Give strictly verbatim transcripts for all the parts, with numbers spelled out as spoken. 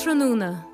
Ardtráthnóna.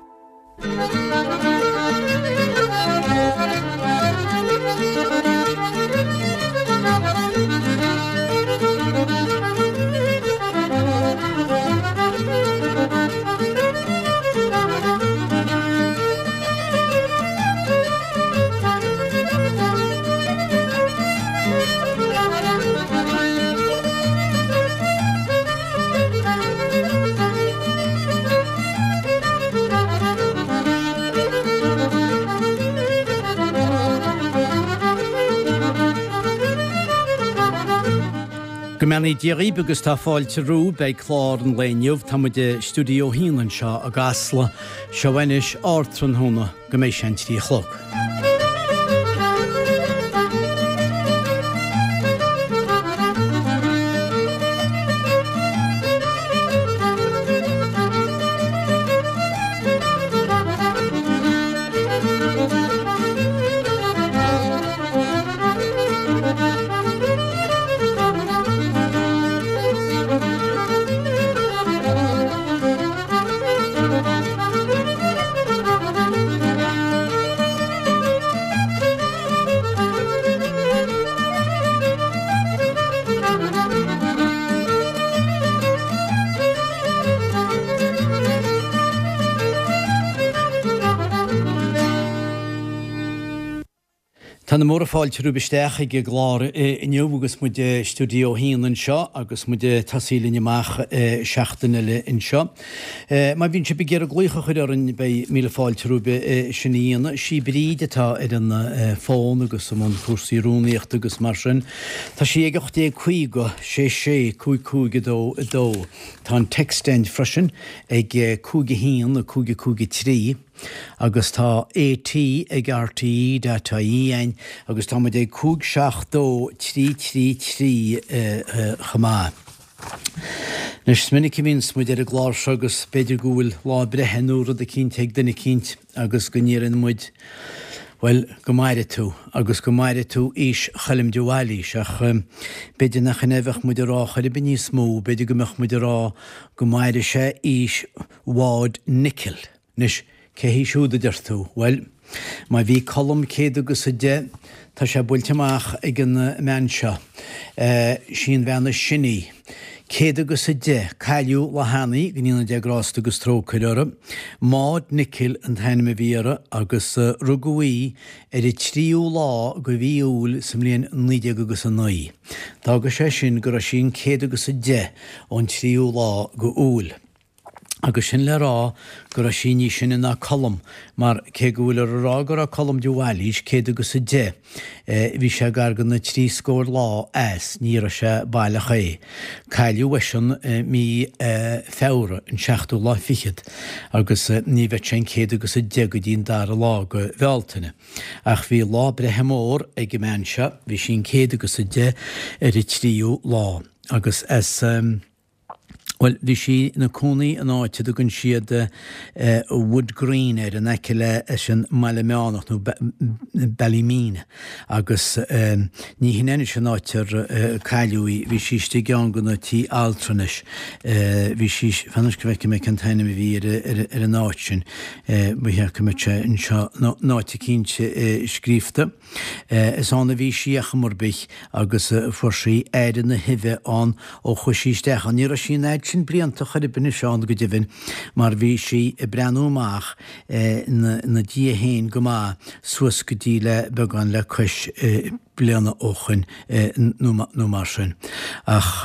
Go mbeannaí Dia dhaoibh agus tá fáilte romhaibh ag clár an lae inniu. Tá muid i stiúideo a haon anseo i gCasla. Seo anois Ardtráthnóna go mbeidh sé an trí a chlog. Tá na móra fáilte romhaibh isteach ag an gclár inniu agus muid i stiúideo a haon anseo agus muid ag tosaí linn amach seachtain eile anseo. Má bhíonn sibh ag iarraidh glaoch a chur orainn beidh míle fáilte romhaibh sin a dhéanamh. Sí Bríd atá ar an fón agus i mbun cúrsaí rúnaíochta agus mar sin. Tá sí ag ocht déag caoga, sé sé, cúig cúig a dó a dó. Tá an text againn freisin ag cúig a haon, cúig a cúig a trí. Agus tá AT ag RTE dot IE againn agus tá muid ag cúig seacht dó trí trí trí chomh maith. Anois, is minic a bhíonns muid ar an gclár seo agus b'fhéidir go bhfuil lá breithe nó rud eicínt ag duine eicínt agus go ndeireann muid, bhuel, go maire tú agus go maire tú aois Choilm de Bhailís ach b'fhéidir nach in é a bheadh muid a rá chor ar bith níos mó, b'fhéidir go mbeadh muid a rá go maire sé aois Mhaud Nicol. Anois, cé hí siúd, a deir tú? Bhuel, má bhí Colm céad agus a deich, tá sé buailte amach ag an mbean seo. Sí an bhean is sine í. Céad agus a deich, cailleadh lá cheana í, go ndéana Dia grásta agus trócaire uirthi. Maud Nicol an t-ainm a bhí uirthi agus rugadh í ar an tríú lá de mhí Iúil sa mbliain naoi déag agus a naoi. D'fhága sé sin go raibh sí an céad agus a deich ón tríú lá de Iúil. Agus sin le rá go raibh sí níos sine ná Colm, mar cé go bhfuil ar a rá go raibh Colm de Bhailís céad agus a deich, bhí sé gar do na trí scór lá as, ní raibh sé baileach é. Cailleadh eisean mí Feabhra, an seachtú lá fichead, agus ní bheadh sé an céad agus a deich go dtí an dara lá de Bhealtaine. Ach bhí lá breithe mór ag an mbean seo, bhí sí an céad agus a deich ar an tríú lá, agus as. Bhuel, bhí sí ina cónaí in áit a dtugann siad Wood Green air, in aice leis an mBaile Meánach, nó Ballymena, agus ní hin anois an áit ar cailleadh í, bhí sí istigh i gceann de na tí altranais, bhí sí, fan anois go bhfeicfidh mé cén t-ainm a bhí ar an áit sin, ba cheart go mbeadh sé anseo in áit eicínt scríofa. Is ann a bhí sí ar chuma ar bith agus fuair sí aire na huibhe ann ó chuaigh sí isteach ann. Ní raibh sí an fhad sin blianta chor ar bith anois ann go deimhin mar bhí sí ag breathnú amach ina diaidh féin go maith suas go dtí le beagán le cois bliana ó shoin nó mar sin. Ach.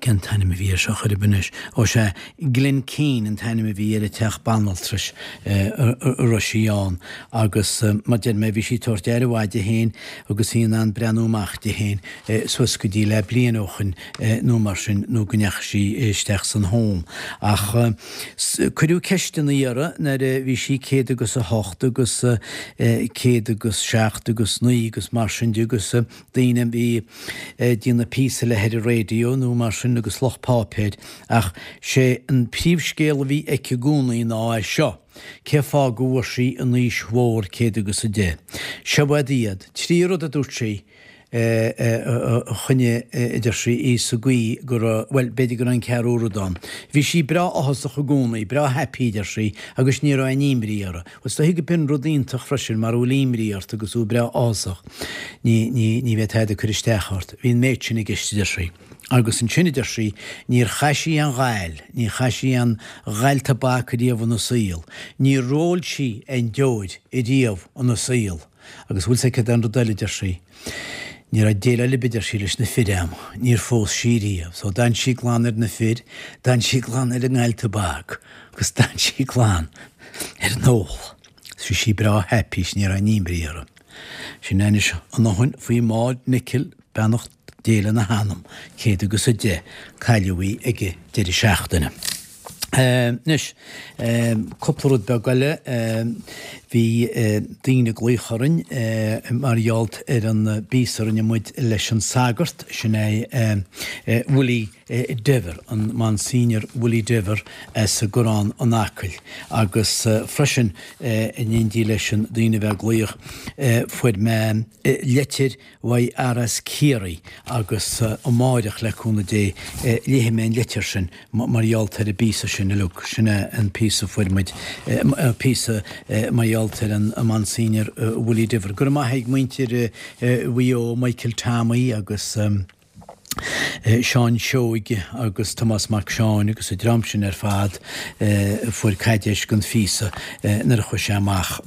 Cén t-ainm a bhí air seo chor ar bith anois? Ó sea, Glenkeen an t-ainm a bhí ar an teach banaltrais a raibh sí ann agus mar deir mé bhí sí ag tabhairt aire mhaith di féin agus í in ann breathnú amach di féin suas go dtí le bliain ó shoin nó mar sin nó go ndeachaigh sí isteach san home. Ach cuireadh ceisteanna uirthi nuair a bhí sí céad agus a hocht agus céad agus seacht agus naoi agus mar sin de agus daoine a bhí ag déanamh píosa léi ar an raidió nó mar sin agus lucht páipéir ach sé an príomhscéal a bhí aici i gcónaí ná é seo, cé fáth go bhfuair sí an aois mhór céad agus a deich. Seo iad, trí rud a dúirt sí, a choinnigh, a deir sí, í sa gcaoi go raibh, bhuel, b'fhéidir go raibh an ceathrú rud ann. Bhí sí breá áthasach i gcónaí, breá happy, a deir sí, agus ní raibh aon imní uirthi. Bhuel, is dóichí go b'in rud iontach freisin, mara bhfuil imní ort agus thú breá áthasach, ní, ní, ní bheidh tada ag cur isteach ort. Bhí an méid sin i gceist, a deir sí. Agus ansin, a deir sí, níor chaith sí aon ghail, níor chaith sí aon ghail tobac riamh ina saol, níor ól sí aon deoir riamh ina saol. Agus bhfuil 's aici cad é an rud eile, a deir sí, ní raibh déileáil ar bith, a deir sí, leis na fir a'm, níor phós sí riamh. So d'fhan sí glan ar na fir, d'fhan sí glan ar an ngail tobac agus d'fhan sí glan ar an ól. Bhí sí breá happy is ní raibh aon imní uirthi. Sin anois an fhothain faoi Maud Nicol, beannacht Dé lena hanam, céad agus a deich, cailleadh í ag an deireadh seachtaine. Anois, cúpla rud beag eile, bhí daoine ag glaoch orainn mar gheall ar an bpíosa a rinne muid leis an sagart, sin é Willie Dever, an Monsignor Willie Dever as an gCorrán in Acaill agus freisin in éindí leis an daoine a bheith ag glaoch, fuair mé leitir uaidh fhear as Ciarraí agus amáireach le cúnamh Dé léifidh mé an leitir sin mar gheall ar an bpíosa sin uilig. Sin é an píosa a fuair muid, píosa mar gheall ar an Monsignor Willie Diver. Go raibh maith ag muintir Mhaigh Eo, Michael Tommy agus Seán Seoige agus Tomás Mac Seáin agus an dream sin ar fad a fuair caidéis den phíosa nuair a chuaigh sé amach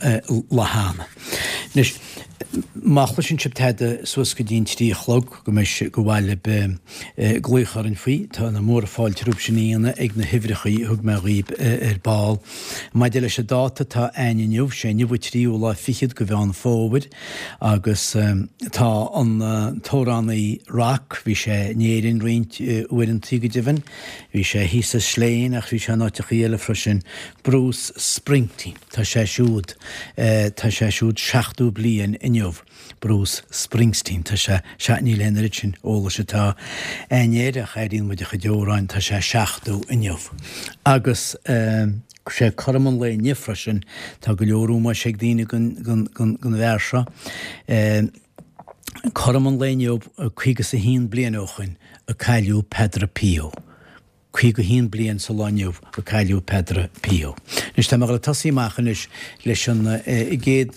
lá cheana. Anois, má chloiseann sibh tada suas go dtí an trí a chlog, go mbeidh sé, gur mhaith libh glaoch orainn faoi, tá na móra fáilte romhaibh sin a dhéanamh ag na huimhreachaí a thug mé dhaoibh ar ball. Maidir leis an dáta atá a'ainn inniu, sé inniu an tríú lá fichead de Mheán Fómhair agus tá an t-amhránaí rock, bhí sé in Éirinn roinnt uaireantaí go deimhin, bhí sé thíos i Slane ach bhí sé in áiteachaí eile freisin, Bruce Springsteen, tá sé siúd, tá sé siúd seachtó bliain inniu, Bruce Springsteen, tá sé, sea, níl aon oiread sin eolais atá a'ainn air ach airíonn muid a chuid amhráin, tá sé seachtó inniu. Agus sé cothrom an lae inniu freisin, tá go leor ómóis ag daoine don, don, don, don bhfear seo. Cothrom an lae inniu, caoga is a haon bliain ó shoin, a cailleadh Peadar Pio. Caoga a haon bliain sa lá inniu a cailleadh Peadar Pio. Anois tá mé ag dul ag tosaí amach anois leis an gcéad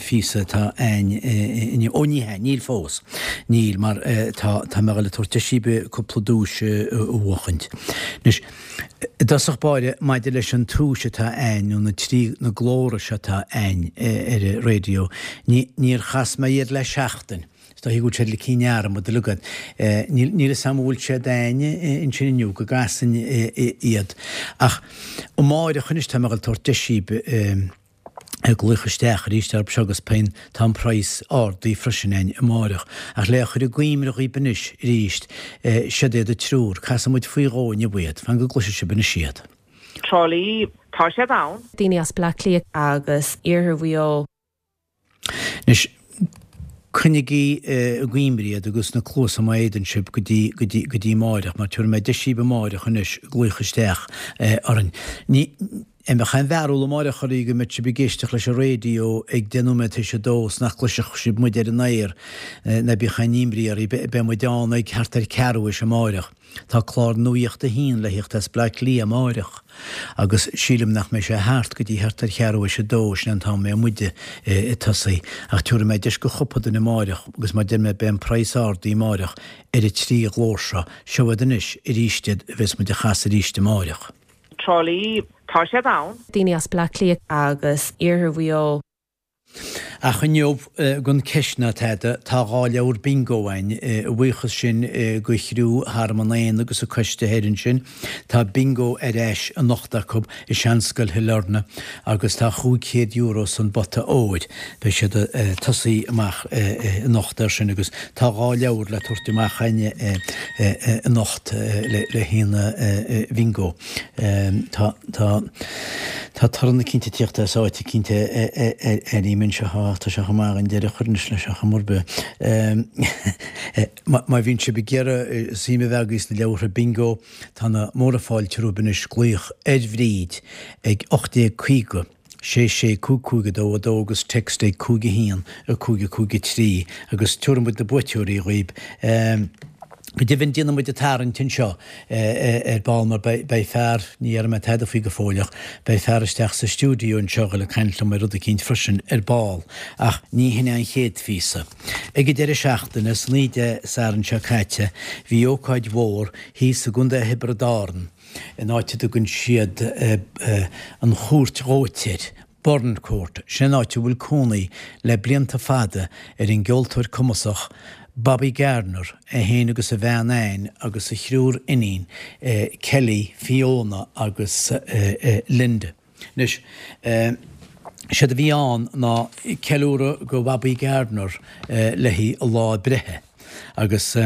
phíosa atá a'ainn inniu. Ó ní hea, níl fós. Níl, mar tá tá mé ag dul ag tabhairt deis daoibh cúpla duais a bhuachaint. Anois, i dtosach báire, maidir leis an duais atá a'ainn, nó na trí, na glóra seo atá a'ainn ar an raidió, ní níor chas mé iad le seachtain. Is dóichí go bhfuil siad ligthe i ndearmad uilig agat. Níl fhios a'm an bhfuil siad a'ainn ansin inniu, go gcasfainn iad. Ach amáireach anois tá mé ag dul tabhairt deis daoibh glaoch isteach arís orthu seo agus beidh, tá an praghas ardaithe freisin a'ainn amáireach. Ach le chur i gcuimhne dhaoibh anois arís, siod iad an triúr, casfaidh muid faoi dhó inniu iad, fan go gcloisfidh sibh anois iad. Trá Lí, tá siad ann. Daoine as Bleá Cliath. Agus Iarthar Mhaigh Eo. Anois, coinnigí i gcuimhne iad agus na cluasa má fhéadann sibh go dtí, go dtí, go dtí amáireach, mar tabharfaidh mé deis daoibh amáireach anois glaoch isteach orainn. Ní, an mbeadh aon bharúil amáireach oraibh go mbeadh sibh ag éisteacht leis an raidió ag deich nóiméad tar éis a dó 's nach gcloisfeadh sibh muid ar an aer, ná bíodh aon imní oraibh, beidh muid ann ag thart ar ceathrú théis amáireach. Tá clár Nuacht a hAon le thíocht as Bleá Cliath amáireach agus sílim nach mbeidh sé thart go dtí thart ar cheathrú théis a dó, sin an t-am a mbeidh muide ag tosaí. Ach tabharfaidh mé deis go chúpla duine amáireach agus mar deir mé beidh an praghas ardaithe amáireach ar an trí ghlór seo. Seo iad anois arís iad a bheas muid a chasadh arís amáireach. Trá Lí, tá siad ann. Daoine as Bleá Cliath. Agus Iarthar Mhaigh Eo. Ach inniu, gan ceist ná tada, tá dhá leabhar bingo againn, a bhuíochas sin go chriú Thearmann Éanna agus a coiste thoir ansin. Tá bingo ar ais anocht acu i Seanscoil Shailearna agus tá chúig chéad euro san bpota óir. Beidh siad ag tosaí amach anocht air sin agus tá dhá leabhar le tabhairt amach againn anocht le haon bhingo. Tá, tá, tá torann eicínt ag tíocht as áit eicínt airím anseo, ach tá sé chomh maith an deireadh a chur anois leis ar chuma ar bith. Má bhíonn sibh ag iarraidh suim a bheith agaibh sna leabhartha bingo, tá na móra fáilte romhaibh anois glaoch ar Bhríd ag ocht déag caoga. sé sé cúig cúig a dó a dó agus text ag cúig a haon a cúig a cúig a trí agus tabharfaidh muid na buaiteoirí dhaoib. Go deimhin déanfaidh muid an tarraingt anseo ar ball mar beidh fear, ní dhéarfaidh mé tada faoi go fóill ach beidh fear isteach sa stiúideo anseo le caint liom ar rud eicínt freisin ar ball ach ní hin é an chéad phíosa. Ag an deireadh seachtaine, san oíche Dé Sathairn seo caite, bhí ócáid mhór thíos i gContae Thiobraid Árann in áit a dtugann siad an Chúirt Dhóite air, Burncourt, sin an áit a bhfuil cónaí le blianta fada ar an gceoltóir cumasach Bobby Gardner, é féin agus a bhean Ann agus a thriúr iníon, Kelly, Fiona agus Linda. Anois, séard a bhí ann ná ceiliúradh go Bhobby Gardner le haghaidh a lá breithe. Agus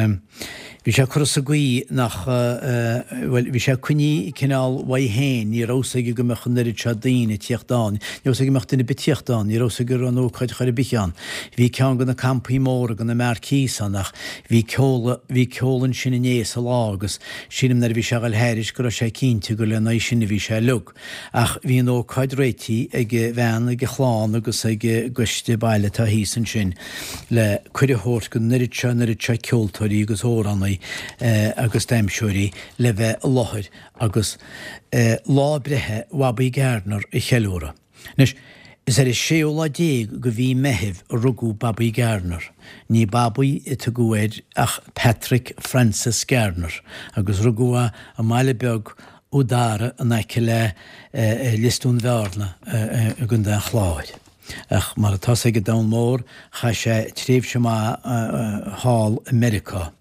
bhí sé curtha sa gcaoi nach, bhuel, bhí sé coinnithe cineál uaidh féin, ní raibh fhios aige go mbeadh an oiread seo daoine ag tíocht ann, ní raibh fhios aige go mbeadh duine ar bith ag tíocht ann, ní raibh fhios aige go raibh an ócáid chor ar bith ann. Bhí ceann de na campaí móra, de na marquees ann ach bhí ceol, bhí ceol ansin inné sa lá agus sílim nuair a bhí sé a dhul thairis go raibh sé cinnte gur lena aghaidh sin a bhí sé uilig. Ach bhí an ócáid réitithe ag a bhean, ag a chlann agus ag an gcoiste baile atá thíos ansin le cuireadh a thabhairt don oiread seo, an oiread seo ceoltóirí agus amhránaí agus damhsóirí le bheith i láthair agus lá breithe Bhobby Gardner a cheiliúradh. Anois, is ar an séú lá déag de mhí Meithimh a rugadh Bobby Gardner. Ní Bobby a tugadh air ach Patrick Francis Gardner agus rugadh é i mbaile beag Udara in aice le Lios Dúin Bhearna i gContae an Chláir. Ach mar atá 's ag an domhan mór, chaith sé tréimhse maith thall i Meiriceá.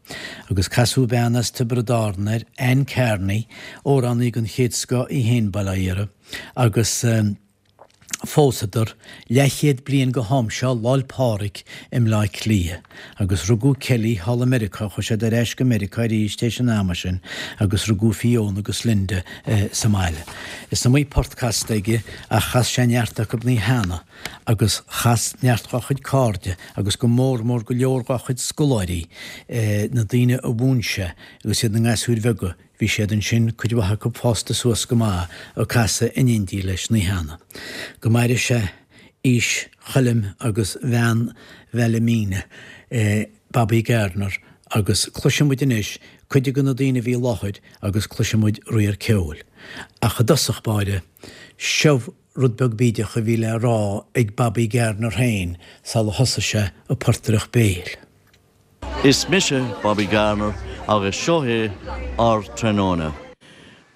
Agus casadh bean as Tiobraid Árann air, Ann Carney, amhránaí den chéad scoth í féin, bail ó Dhia uirthi, agus phósadar leathchéad bliain go ham seo Lá'l Pádraig i mBleá Cliath. Agus rugadh Kelly thall i Meiriceá, chuaigh siad ar ais go Meiriceá arís théis an ama sin agus rugadh Fiona agus Linda sa mbaile. Is iomaí port casta aige ach chas sé neart acu cheana agus chas neart dá chuid cairde agus go mór mór go leor dá chuid scoláirí, na daoine a mhúin sé agus iad ina ngasúir bheaga, bhí siad ansin, cuid mhaith acu fásta suas go maith, ag casadh in éindí leis na cheana. Go maire sé aois Choilm agus bhean Bheilimíne, Bobby Gardner, agus cloisfidh muid anois cuid de na daoine a bhí i láthair agus cloisfidh muid riar ceoil. Ach i dtosach báire, seo rud beag bídeach a bhí le rá ag Bobby Gardner féin sula thosaigh sé ag portaireacht béil. Is mise Bobby Garner agus seo é ár tráthnóna.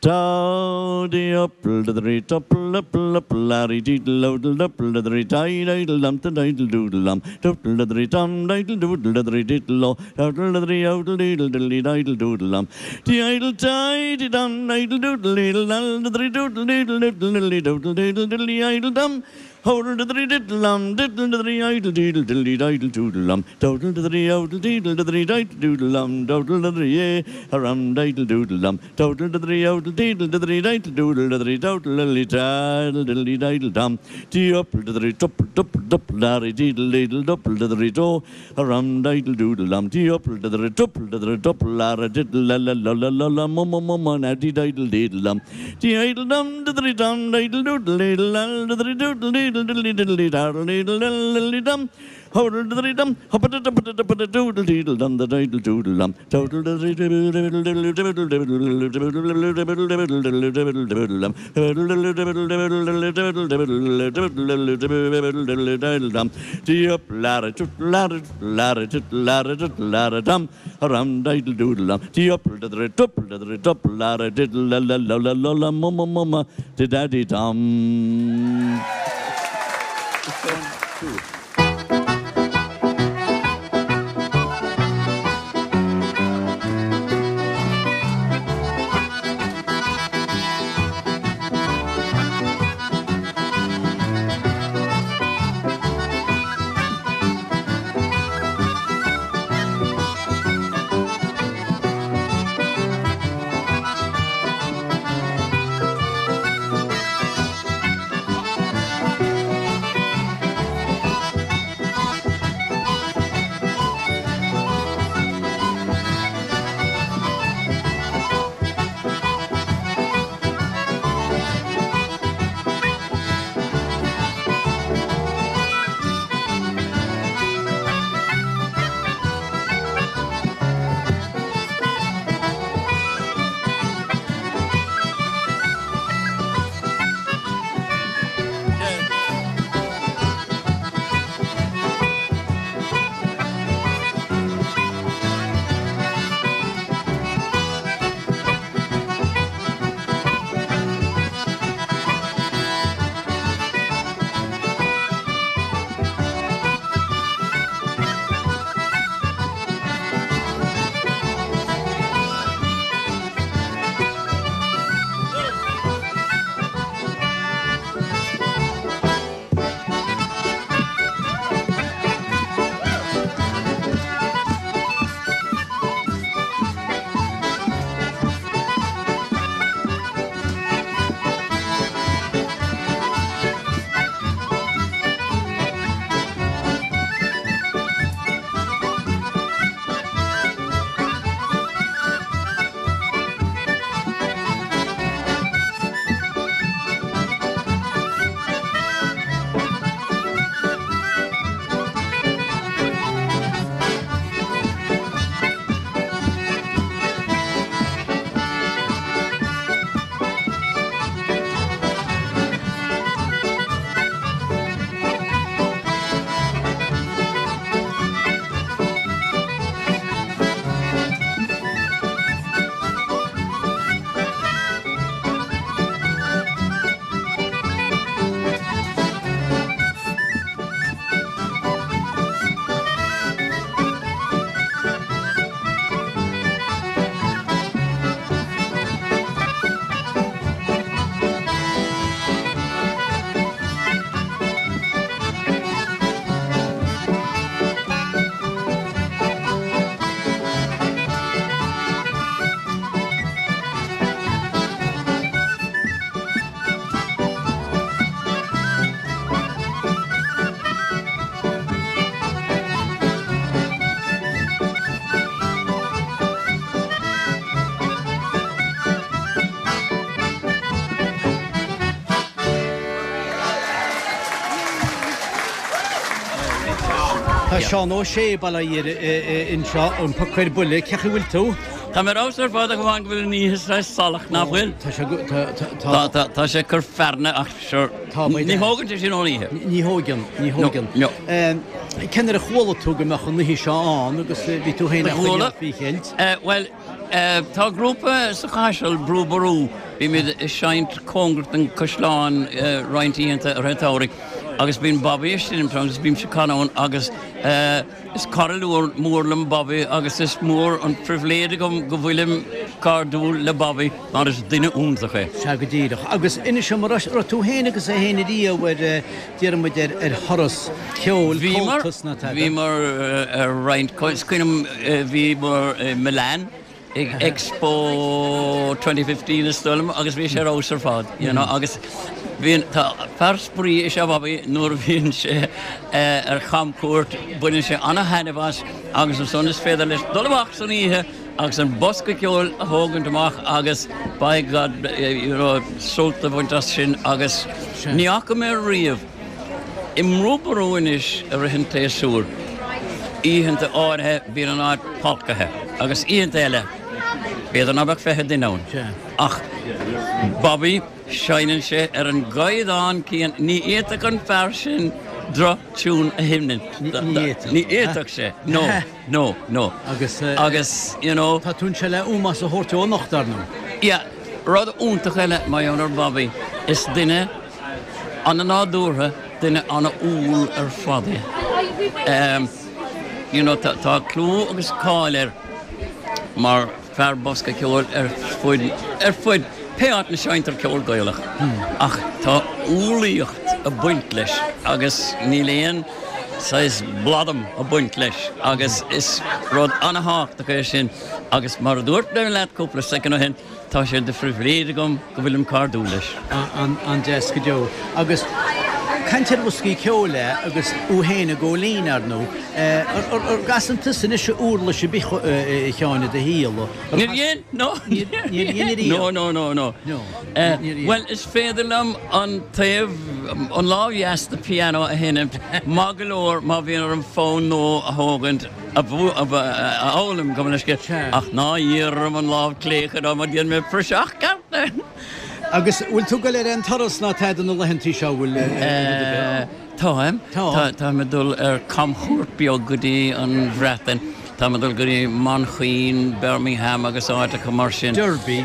Dowdy upple dithery tupple upple upple larry deedle odle dupple dithery die diddle dum the diddle doodle dum doodle dithery dum diddle doodle dithery diddle o doodle dithery odle deedle diddly diddle doodle dum dee idle die dee dum diddle doodle diddle dal dithery doodle deedle diddle diddly doodle deedle diddly idle dum Hodle dithery diddle um diddle dithery idle deedle diddly diddle doodle um doodle dithery odle deedle dithery diddle doodle um doodle dithery yea harum diddle doodle um doodle dithery odle deedle dithery diddle doodle dithery doodle diddly diddle diddly diddle dum dee upple dithery dupple dupple dupple darry deedle deedle dupple dithery do harum diddle doodle um dee upple dithery dupple dithery dupple larra diddle la la la la la la mum mum mum now dee diddle deedle um dee idle dum dithery dum diddle doodle diddle lal dithery doodle deedle diddly diddly daddle diddle diddly dum hodle diddly dum hoppa duppa duppa doodle deedle dum the diddle doodle dum total diddly diddle diddle diddle diddle diddle diddle diddle diddle diddle diddle dum diddle diddle diddle diddle diddle diddle diddle diddle diddle dum dee up ladder tut ladder ladder tut ladder tut ladder dum harum diddle doodle dum dee up diddle dupple diddle dupple ladder diddle la la la la la la mum mum mum diddy dum. Two. Tá Seán Ó Sé bailithe anseo an Poc ar Buile, cén chaoi a bhfuil tú? Tá mé ar fheabhas ar fad ach amháin go bhfuil an oíche saghas salach, nach bhfuil? Tá sé go, tá, tá, tá. Tá, tá sé ag cur fearthainne ach sure, Tá, ní thógann sé sin ón oíche. Ní thógann, ní thógann. No, no. Cén uair a chuala tú go mbeadh an oíche seo ann agus bhí tú féin á Chuala. choinneáil faoi cheilt? Bhuel, tá grúpa sa Chaiseal, Brú Ború, bímid ag seinnt cóngarach don Chaisleán roinnt oícheanta i rith an tsamhraidh agus bíonn Bobby ag seinmt ann agus bímse ag canadh ann agus is cara mór liom Bobby agus is mór an phribhléid agam go bhfuilim cairdiúil le Bobby mar is duine iontach é. Sea go díreach. Agus inis dom, an raibh tú féin agus é féin ariamh ar, déarfaidh muid, ar ar thuras ceoil, Bhíomar, Comhaltas ná tada? bhíomar ar roinnt, is cuimhin liom bhíomar i Milan ag Expo twenty fifteen is dóigh liom agus bhí sé ar fheabhas ar fad, you know, agus bhíonn, tá, fear spraoi is ea Bobby nuair a bhíonn sé ar chamchuairt, baineann sé ana-thaitneamh as agus ansan is féidir leis dul amach san oíche agus an bosca ceoil a thógaint amach agus by God, you know, sult a bhaint as sin agus ní fhaca mé riamh i mBrú Ború anois i rith an tséasúir, oícheanta áirithe bíonn an áit pacaithe agus oícheanta eile b'fhéidir ná beadh fiche duine ann. Ach Bobby, seinneann sé ar an gcaighdeán céanna, ní fhéadfadh an fear sin droch-tiún a sheinnt. Ní fhéadfadh sé. No, no, no. Agus, Agus, you know. Tá tú anseo le ómós a thabhairt dó anocht, ar ndóigh. Yeah. Rud iontach eile mar gheall ar Bobby, is duine ana-nádúrtha, duine ana-umhal ar fad é. You know, tá, tá clú agus cáil air mar fear bosca ceoil ar fud, ar fud pé áit 'na seinntear ceol Gaelach. Ach tá umhlaíocht ag baint leis agus níl aon saghas bladhm ag baint leis agus is rud ana-thábhachtach é sin agus mar a dúirt mé leat cúpla soicind ó shin, tá sé de phribhléid agam go bhfuilim cairdiúil leis. An-deas go deo. Agus caint ar bhoscaí ceoil agus thú féin ag Góilín, ar ndóigh. Ar gcasann tusa anois uirlis ar bith, a Sheáin, i do shaol? Níor dhein, no. Níor dhein ariamh? No, no, no, no. No, níor dhein. Bhuel, is féidir liom an taobh, an lámh dheas de piano a sheinm maith go leor má bhíonn orm fonn nua a thógaint, a fhoghlaim, gabh mo leithscéal, ach ná hiarr orm an lámh clé a chur orm, déanfaidh mé praiseach ceart air. Agus bhfuil tú ag dul ar aon turas ná tada na laethantaí seo, bhfuil rud ar bith? Táim. Tá. Táim ag dul ar camchuairt beag go dtí an Bhreatain. Táim ag dul go dtí Manchain, Birmingham agus áiteacha mar sin. Derby.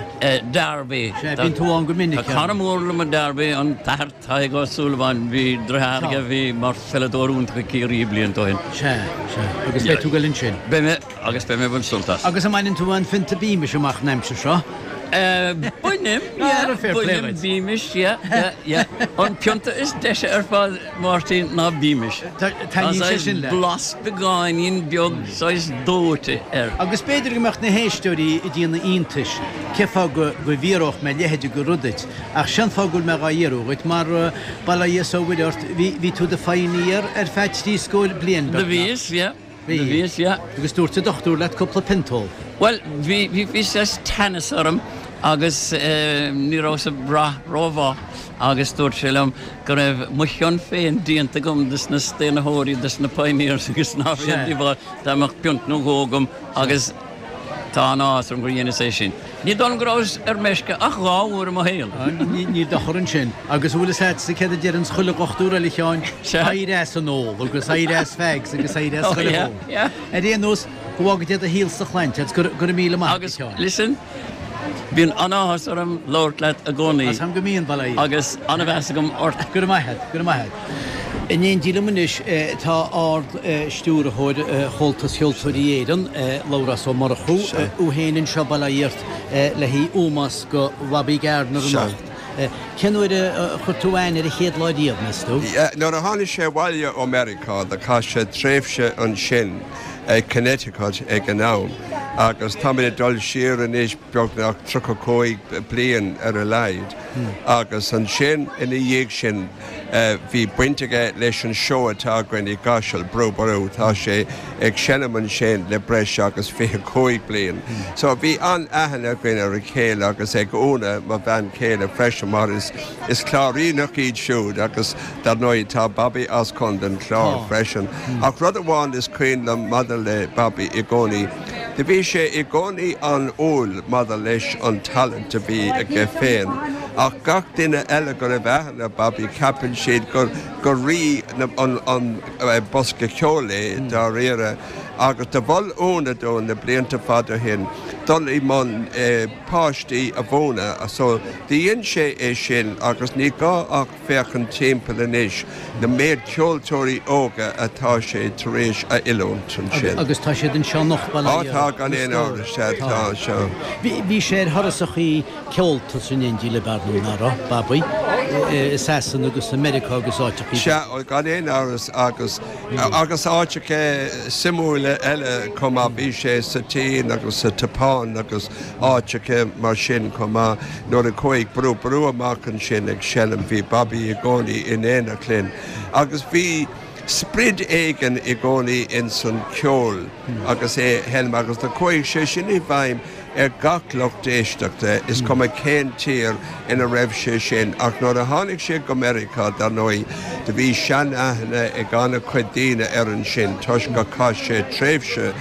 Derby. Sea, bíonn tú ann go minic. Tá cara mór liom i Derby, an tAthair Tadhg Ó Súilleabháin, bhí deartháir aige a bhí mar pheileadóir iontach i Ciarraí blianta ó shin. Sea, sea. Agus beidh tú ag dul ansin? Beidh mé, agus beidh mé ag baint sult as. Agus an mbaineann tú aon phionta Beamish amach an aimsir seo? Bainim, yeah, bainim Beamish, yeah, yeah, yeah. An pionta is deise ar fad, Máirtín, ná Beamish. Taitníonn sé sin leat. Blas beagáinín beag saghas dóite air. Agus b'fhéidir go mbeadh na héisteoirí ag déanamh iontais cén fáth go bhfiafródh mé a leithéid de rud duit, ach sén fáth go bhfuil mé dhá fhiafraí dhuit, mar bail ó Dhia is ó Mhuire ort, bhí tú i do phioneer ar feadh trí scór bliain, beagnach. Do bhíos, yeah. Bhí. Do bhíos, yeah. Agus dúirt an dochtúir leat cúpla pionta a ól. Bhuel, bhí, bhí, bhí saghas teannas orm agus ní rabhas ag brath rómhaith agus dúirt sé liom go raibh mo chion féin déanta agam dos na staonaitheoirí, dos na pioneers agus ná raibh aon díobháil dá mbeadh piont nó dhó agam agus tá an-áthas orm gur dheineas é sin. Ní dóigh liom go rabhas ar meisce ach dhá uair i mo shaol. Níl dochar ansin. Agus an bhfuil fhios a'dsa céard a deireanns chuile dhochtúir eile, a Sheáin? Éirigh as an ól agus éirigh as fags agus éirigh as chuile ól. Ar aon nós, go bhfága Dia do shaol is do shláinte agus go raibh míle maith agat, a Sheáin. Agus listen, bíonn an-áthas orm labhairt leat i gcónaí. Tá 's a'm go mbíonn, bail ó Dhia. Agus an-mheas agam ort. Go raibh maith a't, go raibh maith a't. In éindí liom anois tá Ard-Stiúrthóir Chomhaltas Cheoltóirí Éireann, Labhrás Ó Murchú, thú féin anseo, bail ó Dhia ort, le haghaidh ómós do Bhobby Gardiner anocht. Cén uair a chuir tú aithne air an chéad lá riamh, meas tú? Nuair a tháinig sé abhaile ó Meiriceá do chaith sé tréimhse ansin i Connecticut ag an am agus táimid ag dul siar anois beagnach tríocha cúig bliain ar a laghad agus ansin ina dhiaidh sin Bhí baint aige leis an seó atá againn i gCaiseal, Brú Ború, tá sé ag seinm ansin le breis agus fiche cúig bliain. So bhí an-aithne againn ar a chéile agus ag Úna, mo bhean chéile freisin mar is is Cláiríneach iad siúd agus dar ndóigh tá Bobby as Contae an Chláir freisin. Ach rud amháin is cuimhin liom maidir le Bobby i gcónaí, do bhí sé i gcónaí an-umhal maidir leis an talent a bhí aige féin. Ach gach duine eile go raibh aithne ar Bobby ceapann siad gur gur rí an an bosca ceoil é dáiríre. Agus do mhol Úna dó na blianta fada ó shin dul i mbun páistí a mhúineadh so do dhein sé é sin agus ní gá ach féachaint timpeall anois na méid ceoltóirí óga atá sé tar éis a oiliúint ansin. Agus tá siad anseo anocht bail ó Dhia. Á tá gan aon amhras, sea tá, sea. Bhí sé ar thurasachaí ceolta in éindí le Bearna, nach raibh, Bobby, i Sasana agus i Meiriceá agus áiteachaí. Sea, gan aon amhras agus agus áiteacha suimiúla eile chomh maith. Bhí sé sa tSín agus sa tSeapáin agus áiteacha mar sin chomh maith. Nuair a chuaigh Brú Ború amach ansin ag seinm bhí Bobby i gcónaí in éineacht linn agus bhí sprid éigin i gcónaí ins an ceol agus é a sheinm agus do chuaigh sé sin i bhfeidhm ar gach lucht éisteachta, is cuma cén tír ina raibh sé sin. Ach nuair a tháinig sé go Meiriceá, dar ndóigh, do bhí sean-aithne ag an-chuid daoine air ansin toisc gur chaith sé tréimhse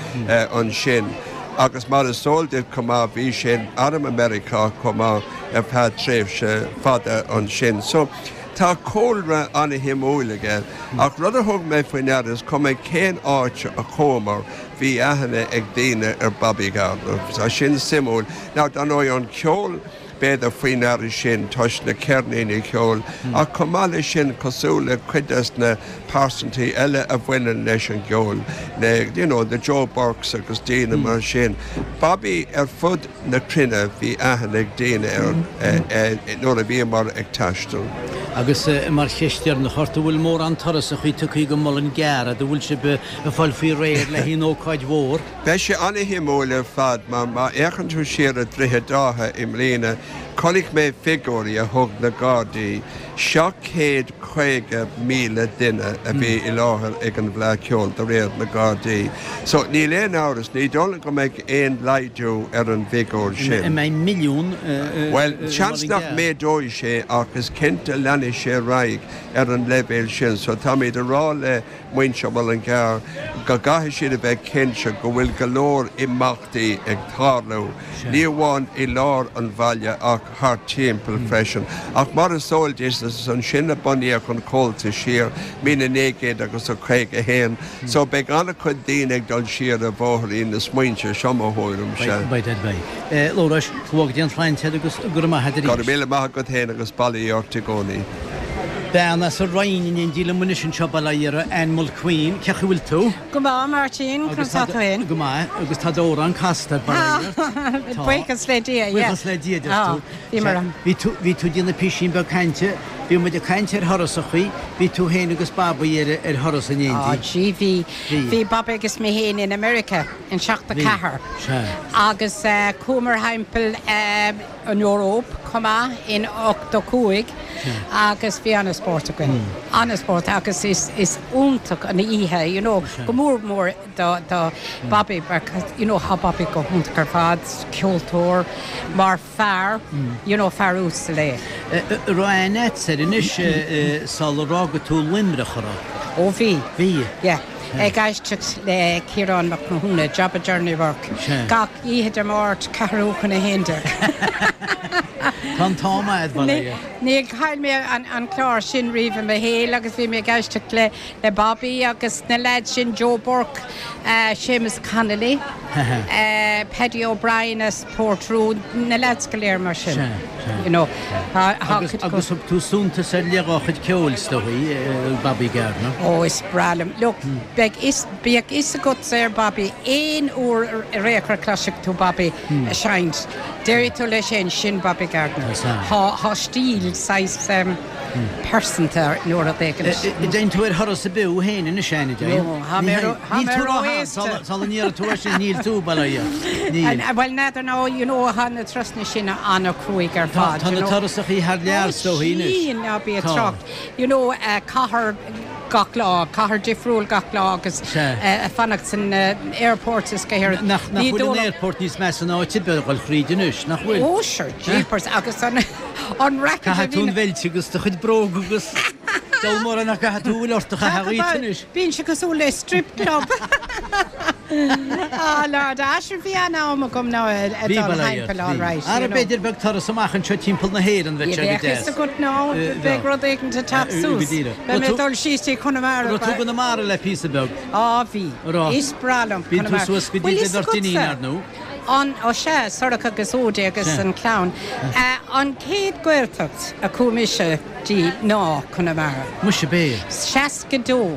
ansin. Agus mar is eol duit chomh maith, bhí sé in arm i Meiriceá chomh maith ar feadh tréimhse fada ansin. So, tá cúlra an-shuimiúil aige. Ach rud a thug mé faoi ndeara, is cuma cén áit a chuamar, Bhí aithne ag daoine ar Bobby Gardiner. Tá sin suimiúil. Now, dar ndóigh, an ceol, b'fhéidir faoi ndeara sin toisc na ceirníní ceoil, ach chomh maith leis sin, cosúil le cuid des na pearsantaí eile a bhaineann leis an gceol, na, you know, the Joe Burkes agus daoine mar sin, Bobby ar fud na cruinne, bhí aithne ag daoine air nuair a bhíomar ag taisteal. Agus mar cheist dheireanach ort, an bhfuil mórán turasachaí tugtha go Mullingar, an bhfuil sibh ag fáil faoi réir le haon ócáid mhór? Beidh sé an-shuimiúil ar fad mar má fhéachann tú siar ar Dhroichead Átha i mbliana, chonaic mé figiúirí a thug na Gardaí, seacht chéad caoga míle duine a bhí i láthair ag an bhFleadh Cheoil de réir na Gardaí. So níl aon amhras, ní dóigh liom go mbeidh aon laghdú ar an bhfigiúr sin. An mbeidh milliún i Bhuel, seans nach Mullingar? méadóidh sé ach is cinnte leanfaidh sé ar aghaidh ar an leibhéal sin. So táimid ag rá le muintir Mhullingar go gcaithfidh siad a bheith cinnte go bhfuil go leor imeachtaí ag tarlú, ní amháin i lár an bhaile ach thart timpeall freisin. Ach mar is eol duit, is ansin a bunaíodh an Comhaltas siar míle naoi gcéad agus a caoga a haon, so beidh an-chuid daoine ag dul siar ar bhóithrín na smaointe, seo mo thuairimse. Beidh, beidh, beidh. Labhráis, go bhfága Dia an tsláinte agus go raibh maith agat Go raibh arís. míle maith agat féin agus bail ó Dhia ort i gcónaí. Bean as an Rinn in éindí liom anois anseo, bail ó Dhia uirthi, Ann Mulqueen. Cén chaoi a bhfuil tú? Go maith, Máirtín, Agus conas tá tú féin? Go maith, agus tá d'amhrán casta, bail ó Dhia ort. Tá. Buíochas le Dia, yeah. Buíochas le Dia, deir tú. Bhí mar an. Bhí tú, bhí tú ag déanamh písín beag cainte, bhí muid ag caint ar thurasachaí, bhí tú féin agus Bobby ar, ar thuras in Á, éindí. gee, bhí, Bhí. bhí Bobby agus mé féin in America in seachtó Bhí. ceathair. Sea. Agus eh, chuamar thimpeall eh, an Eoraip chomh maith in ochtó cúig agus bhí an-spórt againn. An-spórt agus is is iontach an oíche, you know, go mór mór do do Bobby because you know tá Bobby go hiontach ar fad, ceoltóir mar fear, you know, fear uasal é. Raibh aithne agat air anois sular fhág tú Luimneach, an raibh? Ó bhí. Bhí. Yeah. Ag éisteacht le Ciarán Mac Mathúna, Job a Journey Work. Sea. Gach oíche Dé Máirt ceathrú chun a haon déag. Tá an t-am agat, bail ó Dhia. Níor chaill mé an, an clár sin riamh i mo shaol agus bhí mé ag éisteacht le, le Bobby agus na lads sin Joe Burke, uh, Seamus Connolly, uh, Paddy O'Brien as Portroe, na lads go léir mar sin. Sea, sea. You know, ha, ha, Agus, agus thug tú suntas ar leith dá chuid ceoil is dóigh, Bobby Gardiner. Ó is breá liom. Look, beidh is bíodh a fhios agat ar Bobby aon uair ar aon chor cloisfidh tú Bobby ag seinnt. Déarfaidh tú leis sin sin Bobby Gardner. Tá. Tá tá stíl saghas um, pearsanta nó rud éigin. Déan tú ar thuras ar bith féin ina seanna No, tá mé ró- tá mé ró-aosta. Sula ndéarfaidh tú sin níl tú bailithe. Níl. Well n'fheadar ná you know tá na turasanna sin an-chruaidh ar fad. Tá na turasachaí thar lear so hínis. Sin ná bí Tá. trácht. You know uh, cathair gach lá, cathair difriúil gach lá agus Sea. uh, fanacht san uh, airport is go Nach nach bhfuil an airport níos measa ná áit ar bith dul thríd anois, nach bhfuil? Ó sure, jeepers agus an an racket a Caithfidh tú an bhí bheilt agus do chuid bróg agus dul mór nach caithfidh tú bhfuil ort a chaitheamh anois. Bíonn sé cosúil le strip club. Ah Lord, Asher bhí an-am agam ná Bhí timpeall all right. Ara b'fhéidir beag turas amach anseo timpeall na hÉireann bheadh sé go Bheadh deas. go ná Eh, bheadh rud éigin te teacht Eh, suas. go díreach. Beidh mé Tú- dul síos dtí Conamara. Raibh tú Conamara le píosa beag. Á bhí. Raibh. Is breá liom Bíonn tú Conamara. suas go dtí Bhfuil le fhios beirt agatsa? iníon ar nó? An ó sé Sorcha agus Ódé agus Sea. an clann. Eh, An chéad Ghaeltacht a chuaigh mise dtí ná Conamara. Muise bé. Seasca dó.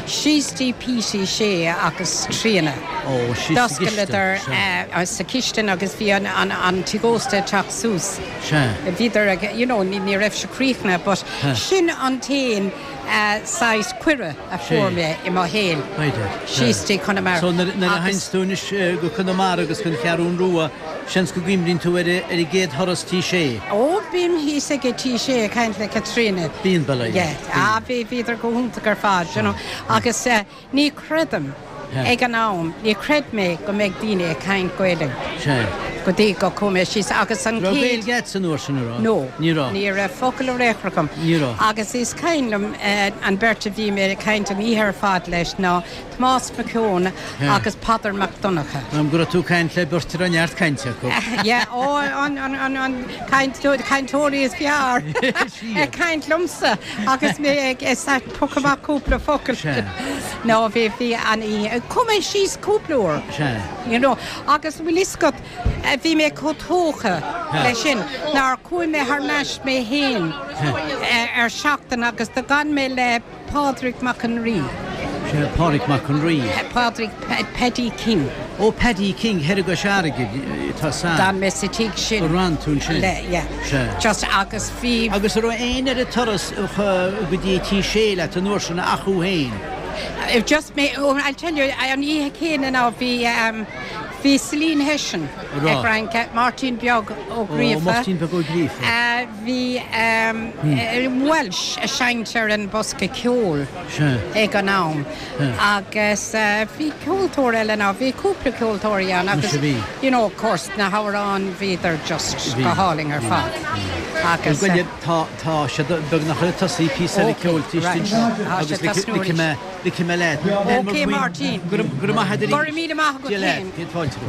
Síos dtí Petey Shea agus Tríona. Ó síos sa cistin, D'oscaileadar sea. sa chistin agus bhí an, an, an tigh ósta teacht suas. Sea. Bhíodar ag you know, ní ní raibh sé críochnaithe, but sin an t-aon uh, saghas cuireadh a fuair mé i mo shaol. B'fhéidir. Síos dtí Conamara. So nuair a Agus- théanns tú anois go Conamara agus chun Cheathrún Rua, seans go gcuimhníonn tú ar ar an gcéad thuras Tí Sé. Ó bím thíos ag Tí Sé ag caint le Caitríona. Bíonn bail Yeah, ah, bhí bhíodar go hiontach ar fad, you know. Agus uh, ní chreidim Yeah. ag an am, ní chreid mé go mbeidh daoine ag caint Gaeilge. Sé. Go dtí go chuaigh mé síos agus an Raibh chéad Gaeilge san uair sin rá? No, Ní raibh. Ní raibh focal ar aon chor agam. Ní raibh. Agus is cuimhin liom eh, an bheirt a bhí mé ag caint an oíche ar fad leis ná Tomás Mac Eoin Yeah. agus Peadar Mac Donncha. Am go raibh tú caint le beirt a raibh neart cainte acu. Yeah, ó an an an an cainteoirí is fearr ag caint liomsa agus mé ag piocadh cúpla focal. Sea. No bhí bhí an í chuaigh mé síos cúpla uair. Sea. You know, agus bhfuil fhios agat bhí mé chomh tógtha leis sin nár chuaigh mé thar n-ais mé féin ar seachtain agus d'fhan mé le Pádraig Mac an Rí. Sé Pádraig Mac an Rí. Pádraig Paddy King. Ó Paddy King thoir i gCois Fharraige tá sa. D'fhan mé sa tigh sin. Ran tún sin. Le, yeah. Sé. Just agus bhí Agus an raibh éinne ar an turas go dtí Tí Sé leat an uair sin ach thú féin. If just me, oh, I'll tell you, an oíche chéanna ná bhí um, bhí Celine Hession Rá. ag rince Martin Beag Ó Gríofa. Martin Beag Ó Gríofa. Uh, bhí um, hmm. Welsh a seinnt ar an bosca ceoil Sé. ag an am. Agus uh, bhí ceoltóir eile ná bhí cúpla ceoltóirí ann agus Muise bhí. you know, of course na hamhráin bhíodar just Bhí. go hálainn ar fad. Agus Goile tá tá sé beagnach le tosaí píosa Okay, ceoil right. Tá sé tosnú arís. le me le. Okay, Martin. Gur maith Go raibh míle maith agat féin. Céad fáilte.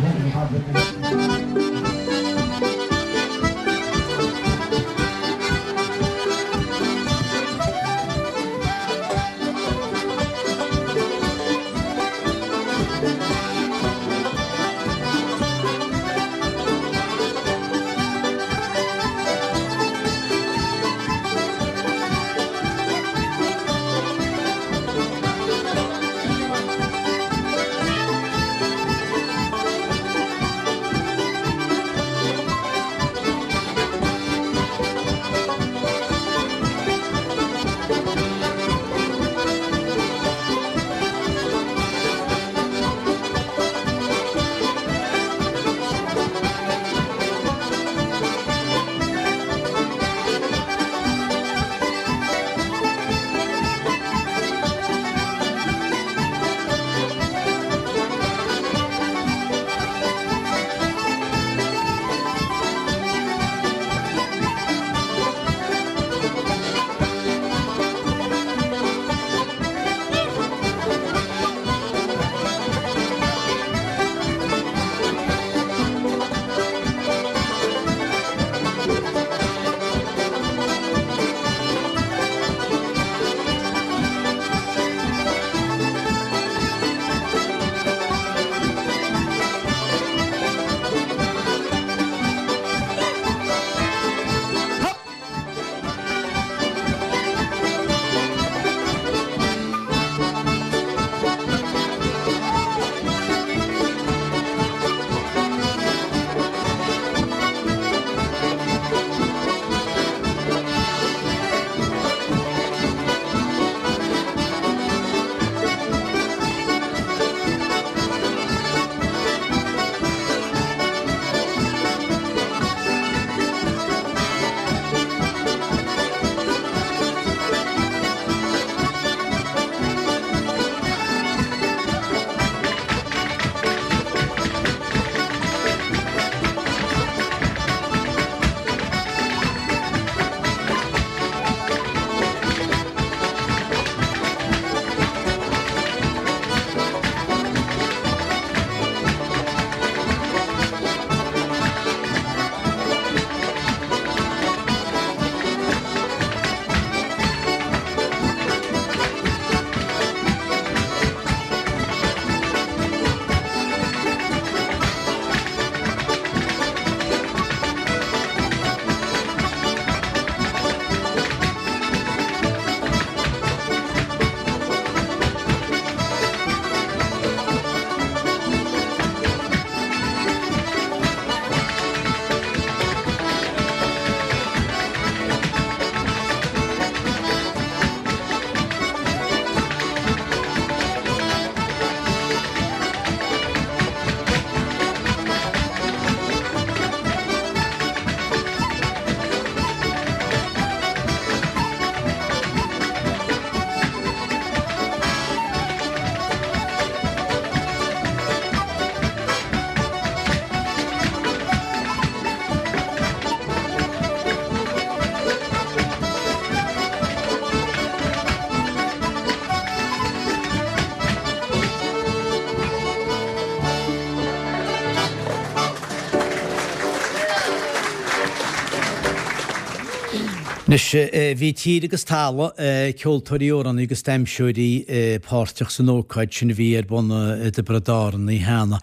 Anois bhí tír agus talamh, ceoltóirí, amhránaithe agus damhsóirí páirteach san ócáid sin a bhí ar bun i dTiobraid Árann cheana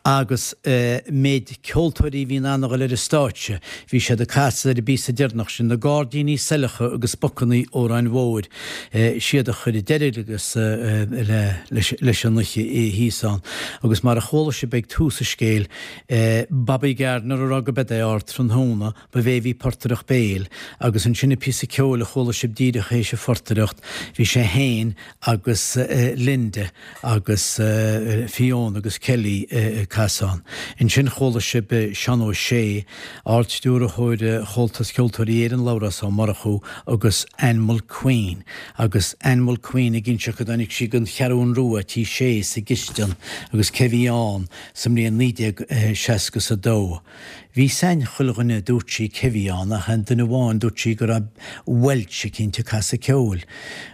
agus méid ceoltóirí a bhí in ann a dhul ar an stáitse, bhí siad ag casadh ar an bpíosa deireanach sin, Na Gairdíní Saileacha agus Bacanna Óráin Mhóir, siad a chuir deireadh agus leis an oíche thíos ann. Agus mar a chuala sibh ag tús an scéil, Bobby Gardiner a rá go b'é ardtráthnóna, ba é a bhí ag portaireacht béil agus ansin an píosa ceoil a chuala sibh díreach théis an phortaireacht, bhí sé fhéin agus Linda agus Fiona agus Kelly ag casadh ann. Ansin chuala sibh Seán Ó Sé, Ard-Stiúrthóir Chomhaltas Ceoltóirí Éireann, Labhrás Ó Murchú agus Ann Mulqueen agus Ann Mulqueen ag inseacht go dtáinig sí den Cheathrún Rua, Tí Sé sa gcistin agus cé bhí ann sa mbliain naoi déag seasca is a dó. Bhí 's ag chuile dhuine dúirt sí cé bhí ann ach aon duine amháin dúirt sí go raibh Welch eicínt ag casadh ceoil.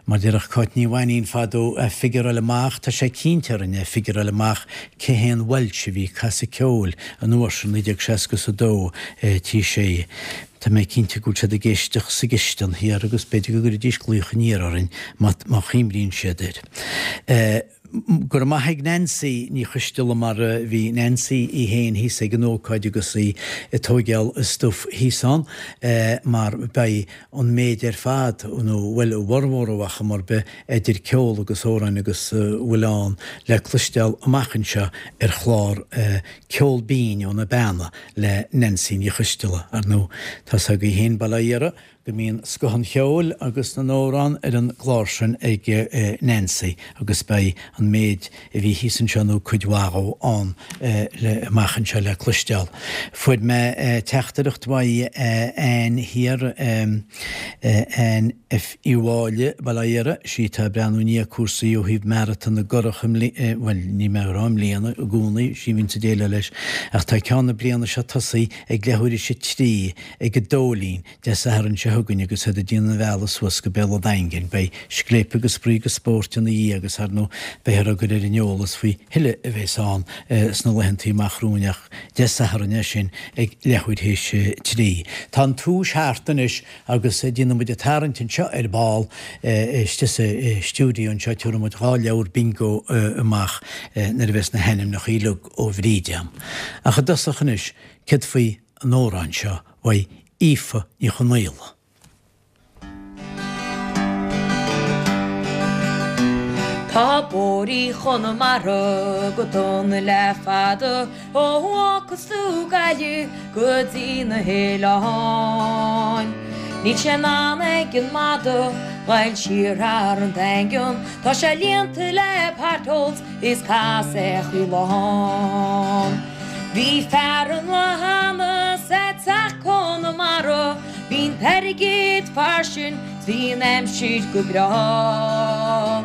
Mar déarfadh Cáit Ní Mhainín fadó figureáil amach, tá sé cinnte orainn é figureáil amach cé hé an Welch a bhí ag casadh ceoil an uair sin naoi déag seasca is a dó Tí Sé. Tá mé cinnte go bhfuil siad ag éisteacht sa gcistin thiar agus b'fhéidir go gcuirfidís glaoch aniar orainn má chuimríonn siad air. Go raibh maith ag Nancy Ní Choisteala mar bhí Nancy í fhéin thíos ag an ócáid agus í ag tóigeáil a stuif thíos ann mar beidh an méid ar fad, nó bhuel a bhformhór ar chuma ar bith, idir ceol agus amhráin agus a bhfuil ann le cloisteáil amach anseo ar chlár Ceol Binn ó na Beanna le Nancy Ní Choisteala. Ar ndóigh, tá's agaibh fhéin bail ó Dhia oraibh, go mbíonn scoth an cheoil agus na n-amhrán ar an gclár sin ag Nancy agus beidh an méid a bhí thíos anseo nó cuid mhaith dhó ann le amach anseo le cloisteáil. Fuair mé teachtaireacht uaidh Ann thiar, Ann F Uí Mháille, Baile Átha Iartha, sí atá ag breathnú i ndiaidh cúrsaí ó thaobh Maratón na gCurrach i mbliana, bhuel níl mé ag rá i mbliana, i gcónaí, sí a bhíonns ag déileáil leis, ach tá ceann na bliana seo tosaithe ag leathuair théis a trí ag an Dóilín, Dé Sathairn seo chugainn agus iad ag déanamh an bhealaigh suas go Béal an Daingin. Beidh scléip agus spraoi agus spóirt ina dhiaidh agus, ar ndóigh, beifear á gcur ar an eolas faoi thuilleadh a bheas ann sna laethantaí amach romhainn ach Dé Sathairn é sin ag leathuair théis a trí. Tá an tomhais thart anois agus déanfaidh muid an tarraingt anseo ar ball istigh sa stiúideo anseo. Tabharfaidh muid dhá leabhar bingo amach nuair a bheas na hainmneacha uilig ó Bhríd agam. Ach i dtosach anois, céard faoi an amhrán seo uaidh Aoife Ní Chonaola. Tá bóithrí Chonamara go dona le fada, ó fhágfas tú Gaillimh go dtí na hoileáin. Níl sé in ann ag an madadh ghoil siar thar an Daingean, tá sé líonta le potholes is casachaí lán. Bhí fear ann lá cheana 's é ag teacht Conamara, bhí an t-airgead fairsing 's bhí an aimsir go breá.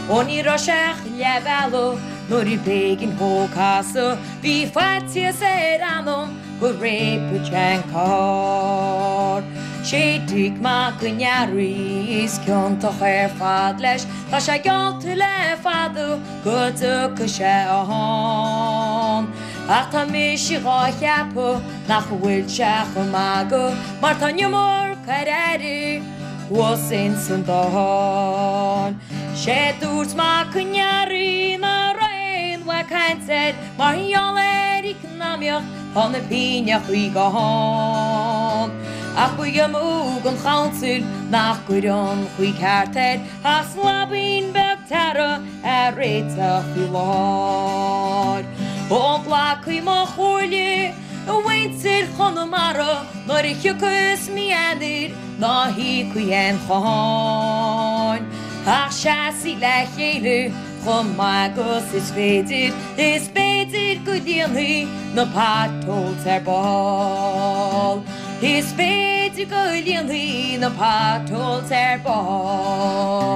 Ó ní raibh sé ach leath bealaigh nuair a b'éigean dhó casadh, bhí faitíos ar a anam go réabfadh sé an carr. Sé Dick Mac an Fhearraigh is ciontach ar fad leis, tá sé geallta le fada go dtiocfaidh sé ann. Ach tá mise dhá cheapadh nach bhfuil sé chomh magaidh mar tá an iomarca ar aire thuas ins an Dáil. Sé dúirt Mac an Fhearraigh ná raibh aon mhaith caint air mar gheall ar eacnamaíocht tá na pingneachaí gann. Ach ba amú don chouncil nach gcuir an chaoi ceart air ach slaibín beag tarra a réiteach faoi láthair. Ó glacaigí mo chomhairle, a mhuintir Chonamara, nuair a thiocfas mí Eanáir ná híocaigí aon cháin. Ach seasaigí le chéile chomh maith agus is féidir, is b'fhéidir go líonfaidh na potholes ar ball. Is b'fhéidir go líonfaidh na potholes ar ball.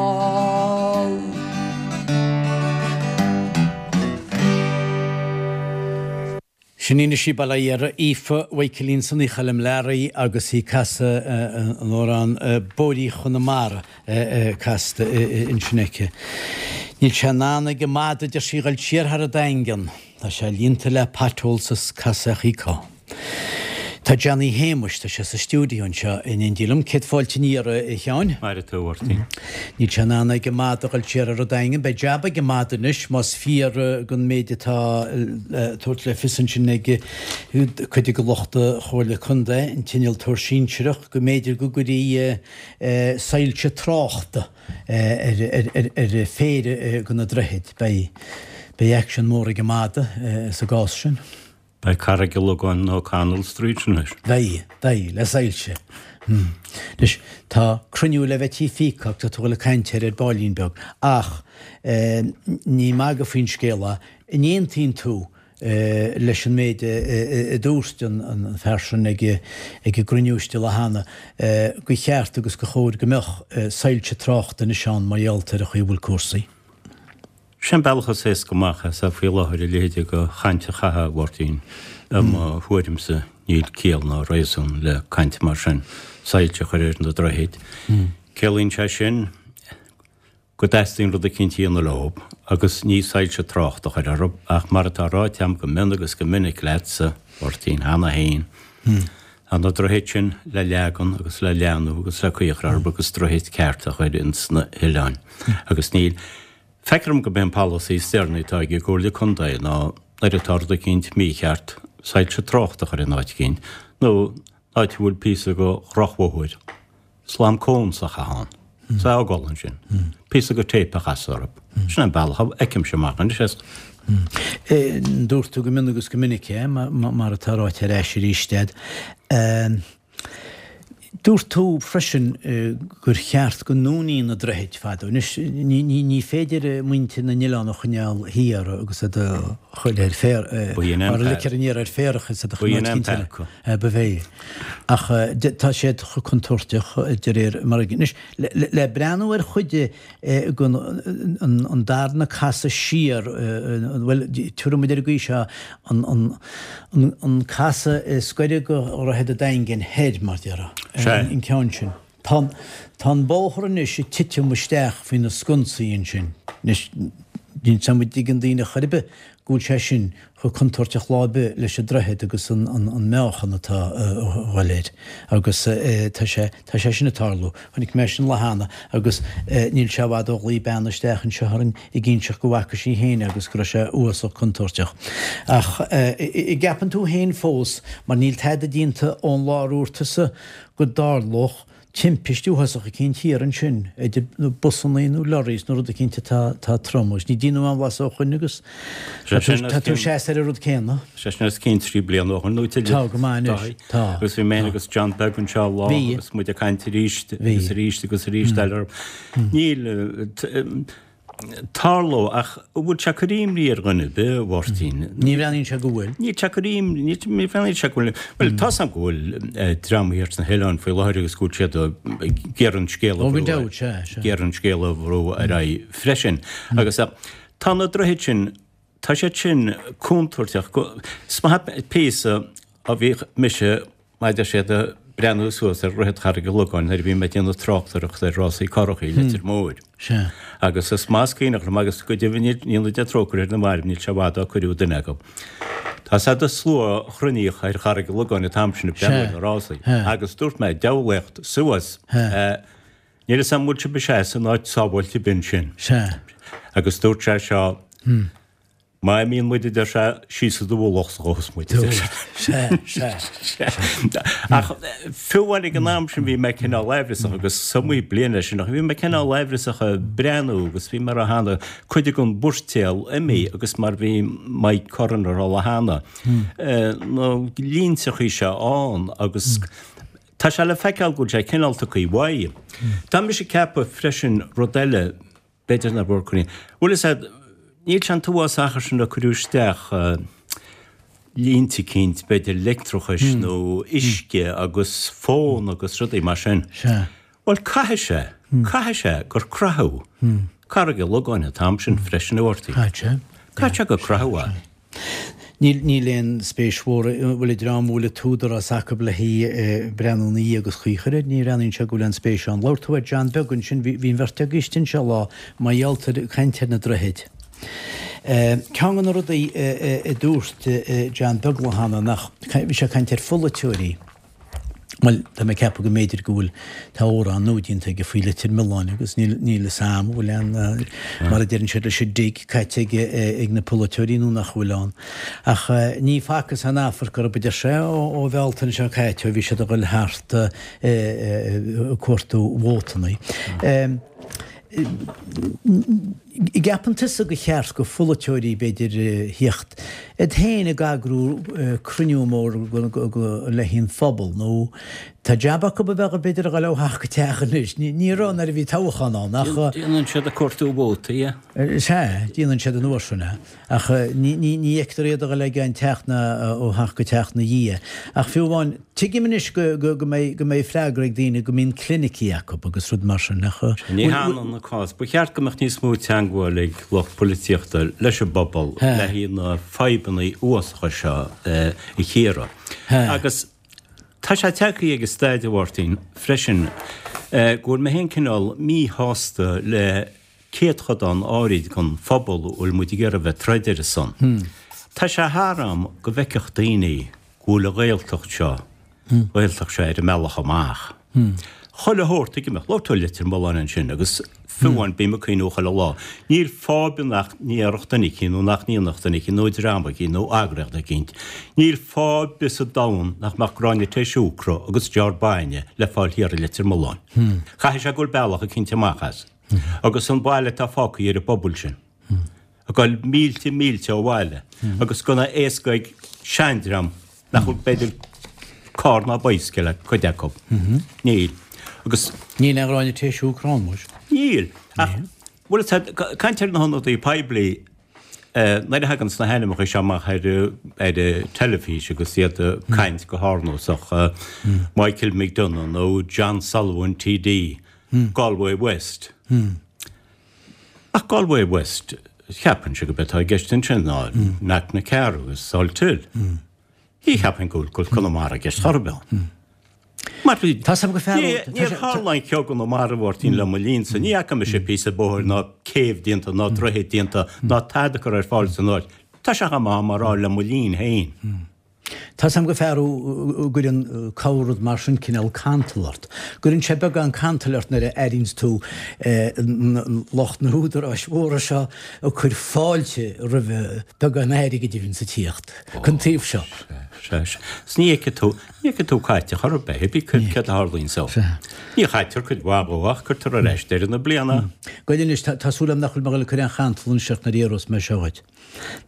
Sin í anois í Baile Átha Iartha, Aoife Mhaidhcilín Sonaí Choilm Learaí agus í ag casadh an amhrán Bóithrí Chonamara casta ansin aici. Níl sé in ann ag an madadh, deir sí, dhul siar thar an Daingean. Tá sé líonta le potholes is casachaí. Tá Johnny Shéamuis, tá sé sa stiúideo anseo in éindí liom. Céad fáilte aniar, a Sheáin. Maire tú, a Mháirtín. Níl sé in ann ag an madadh a dhul siar ar an Daingean. Beidh jab ag an madadh anois, más fíor don méid atá le tabhairt le fios ansin ag cuid de lucht Chomhairle Contae, an t-innealtóir sinsearach, go mb'fhéidir go gcuirfí soilse tráchta ar phéire de na droichid. Beidh beidh aicsean mór ag an madadh sa gcás sin. Beidh Carraig an Logáin nó O'Connell Street anois. Beidh, beidh, le soilse. Anois, tá cruinniú le bheith tí Pheacock, tá tú ag dul ag caint air ar baillín beag, ach ní magadh faoin scéal é, an aontaíonn tú leis an méid a dúirt an fear sin ag an gcruinniú istigh lá cheana, gur cheart agus gur chóir go mbeadh soilse tráchta anois ann mar gheall ar an chaoi a bhfuil cúrsaí? Sin bealach is éasca amach as faoi láthair a leithéid de chaint a chaitheamh, a Mháirtín. I mo thuairimse, níl ciall ná réasún le caint mar sin, soilse a chur ar na droichid. Ciallaíonn sé sin go dteastaíonn rud eicínt a dhéanamh leo agus ní soilse tráchta a chur orthu ach mar atá ráite agam go mion agus go minic leatsa, a Mháirtín, cheana féin, tá na droichid sin le leagan agus le leathnú agus le caoi a chur orthu agus droichid ceart a chur ins na hoileáin agus níl Feictear dom gurb é an polasaí is deireanaí atá ag an gComhairle Contae ná nuair atá rud eicínt mícheart, soilse tráchta a chur in áit eicínt, nó in áit a bhfuil píosa de dhrochbhóthar, slam cones a chaitheamh ann, is é a fhágáil ansin, píosa de tape a chasadh orthu. Sin an bealach a fheicimse amach anois é. Dúirt tú go mion agus go minic é, mar atá ráite ar ais arís agat. Dúirt tú freisin gur cheart go ndúnfaí na droichid fadó. Anois, ní féidir muintir na n-oileán a choinneáil thiar agus iad a chur ar féar, mar a ligtear aniar ar féarach is iad a choinneáil cinnte ba bhé. Ach tá siad chomh contúirteach de réir mar a. Anois, le breathnú ar chuid den an darna casadh siar, bhuel, tabharfaidh muid ar an gcaoi seo, an casadh is gaire do Dhroichead an Daingin thoir, mar déarfá, an ceann sin. Tá tá an bóthar anois ag titim isteach faoi na sconsaí ansin. Anois, níl 's a'm an dtuigeann daoine chor ar bith go bhfuil sé sin chomh contúirteach lá ar bith leis an droichead agus an meáchan atá a dhul air. Agus tá sé, tá sé sin ag tarlú. Chonaic mé sin lá cheana agus níl sé i bhfad ó ghlaoigh bean isteach anseo orainn ag inseacht go bhfaca sí féin é agus go raibh sé uafásach contúirteach. Ach an gceapann tú féin fós, mar níl tada déanta ón lá a dúirt tusa go dtarlódh timpiste uafásach eicínt thiar ansin idir busannaí nó lorries nó rud eicínt atá atá trom agus ní déanadh aon mhaith ó shoin agus tá tú tá tú seasta ar an rud céanna. Sé sin os cionn trí bliana ó shoin nó tuilleadh. Tá go maith anois. Tá. Agus bhí mé féin agus John Beag anseo lá Bhí. agus muid ag caint arís Bhí. agus arís agus arís eile. Níl Tarlóidh, ach an bhfuil sé ag cur imní ar dhuine ar bith, a Mháirtín? Ní bhreathnaíonn sé go bhfuil. Níl sé ag cur imní, ní bhreathnaíonn sé go bhfuil. Bhuel, tá's agam go bhfuil dream thiar sna hoileáin faoi láthair agus go bhfuil siad ag iarraidh an scéal a Ó, gan bhrú, dabht, sea, sea. ag iarraidh an scéal a bhrú ar aghaidh freisin. Agus tá na droichid sin, tá siad sin contúirteach go, is maith píosa a bhíodh mise Mar a deir siad, ag breathnú suas ar Dhroichead Charraig an Logáin nuair a bhí mé ag déanamh tráchtaireachta ar rásaí currachaí i Leitir Móir. Sea. Agus is maith is cuimhneach liom agus go deimhin go ndéana Dia trócaire ar na mairbh níl sé i bhfad ó cuireadh duine acu. Tá 's a'd an slua a chruinníodh ar Charraig an Logáin an t-am sin ag breathnú ar na rásaí. Agus dúirt mé, diabhlaíocht suas! Níl 'fhios a'm an bhfuil sibh ag seasamh in áit sábháilte ar bith ansin. Sea. Agus dúirt sé seo, Má imíonn muid, a deir sé, síos i do mhullach a ghabhfas muid, a deir sé. Sea, sea, sea. Ach fiú amháin ag an am sin bhí mé cineál aimhreasach agus is iomaí bliain é sin ach bhí mé cineál aimhreasach ag breathnú agus bhí mé ag rá cheana cuid den mhoirtéal imithe agus mar bhí Mike Curran ag rá lá cheana na línteachaí seo ann agus tá sé le feiceáil go bhfuil sé cineál tugtha uaidh. Tá mise ag ceapadh freisin rud eile B'fhéidir nach bhfuil cruinn. Bhfuil fhios a'd, níl sé an t-uafás achar sin ó cuireadh isteach línte eicínt, b'fhéidir leictreachais nó uisce agus fón agus rudaí mar sin. Sea. Bhuel, caithfidh sé, caithfidh sé gur croitheadh Carraig an Logáin an t-am sin freisin, a Mháirtín. Caithfidh sé. Caithfidh sé gur croitheadh é. Níl, níl aon spéis mhór, bhuel, an dream a bhfuil an t-údarás acu le haghaidh breathnú ina dhiaidh agus caoi a chur air, ní bhreathnaíonn sé go bhfuil aon spéis ann. Labhair tú ar John Beag ansin, bhí, bhí an bheirt agaibh istigh anseo lá, mar gheall ar, caint ar na droichid. Ceann de na rudaí a dúirt John Beag cheana nach, bhí sé ag caint ar pholaiteoirí, bhuel, tá mé ag ceapadh go mb'fhéidir go bhfuil, tá amhrán nua déanta aige faoi Leitir Mealláin agus níl, níl fhios a'm an bhfuil aon, mar a deireann siad leis an dig caite ag, ag na polaiteoirí nó nach bhfuil ann. Ach ní facthas aon amharc orthu, a deir sé, ó, ó Bhealtaine seo caite ó bhí siad ag dul thart ag cuartú vótannaí. Gceapann tusa go cheart go pholaiteoirí, b'fhéidir, thíocht iad féin ag eagrú cruinniú mór le haghaidh an phobal nó tá jab acu a bheadh b'fhéidir a dhul ó theach go teach anois. Ní raibh nuair a bhí toghchán ann ach. Déanann siad ag cuartú vótaí é. Sea, déanann siad an uair sin é. Ach ní fheictear iad a dhul ag aon teach ná ó theach go teach 'na dhiaidh. Ach fiú amháin, tuigim anois go mbeidh freagra ag daoine go mbíonn clinicí acu agus rud mar sin ach. Ní hionann an cás. Ba cheart go mbeadh níos mó teagmháil ag lucht polaitíochta leis an bpobal le haghaidh na fadhbanna uafásacha seo a chíoradh. Agus tá sé tagtha ag an staid, a Mháirtín, freisin go bhfuil mé féin cineál míshásta le céatchodán áirid den phobal a bhfuil muid ag iarraidh a bheith ag troid ar a son. Tá sé thar am go bhfeicfeadh daoine go bhfuil an Ghaeltacht seo, Ghaeltacht seo ar an mbealach amach. Chuile shórt ag imeacht. Labhair tú Leitir Mealláin ansin agus fiú amháin bím ag cuimhniú chuile lá. Níl fadhb nach ndéarfadh duine eicínt nó nach ndéanfadh duine eicínt nó dream eicínt nó eagraíocht eicínt. Níl fadhb ar bith sa domhan nach mbeadh gráinne tae siúcra agus jar bainne le fáil thiar i Leitir Mealláin. Caithfidh sé go bhfuil bealach eicínt amach as. Agus an baile atá fágtha ar an bpobal sin. Ag dul mílte mílte ó bhaile agus gan a éasca ag seandream nach bhfuil b'fhéidir carr ná bicycle ag cuid acu. Níl. Agus. Níl aon ghráinne tae siúcra ann, muis. Níl. Ach, bhuel, tá caint ar na hionadaí poiblí nuair a thagann na hainmneacha seo amach ar ar an teilifís agus iad ag caint go hárnósach, Michael McDonagh nó John Sullivan TD, Galway West. Ach Galway West, cheapfainnse gurb é atá i gceist ansin ná Knocknacarra agus Salthill. Ní cheapfainn go bhfuil Conamara i gceist chor ar bith ann. Mar bhí, Tá 's agam go fearúil, níor tharla aon cheo i gConamara, a Mháirtín, le mo linnse. Ní fhaca mise píosa bóthair ná céibh déanta ná droichead déanta ná tada curtha ar fáil san áit. Tá sé chomh maith mar rá le mo linn féin. Tá 's agam go fearúil go gcuireann corr-rud mar sin cineál cantal ort. Cuireann sé beagán cantail ort nuair a airíonns tú lucht na húdaráis mhóra seo ag cur fáilte roimh beagán airgid a bhíonns ag tíocht chun taobh seo. Sea, sea. 'S ní fheicfidh tú, ní fheicfidh tú caite chor ar bith, hibí céard a tharlaíonn so. Ní chaitear cuid mhaith dhó ach cuirtear ar ais deireadh na bliana. Gabh anois, tá súil agam nach bhfuil mé ag dul ag cur aon chantal anois ort nuair a iarrós mé seo dhuit.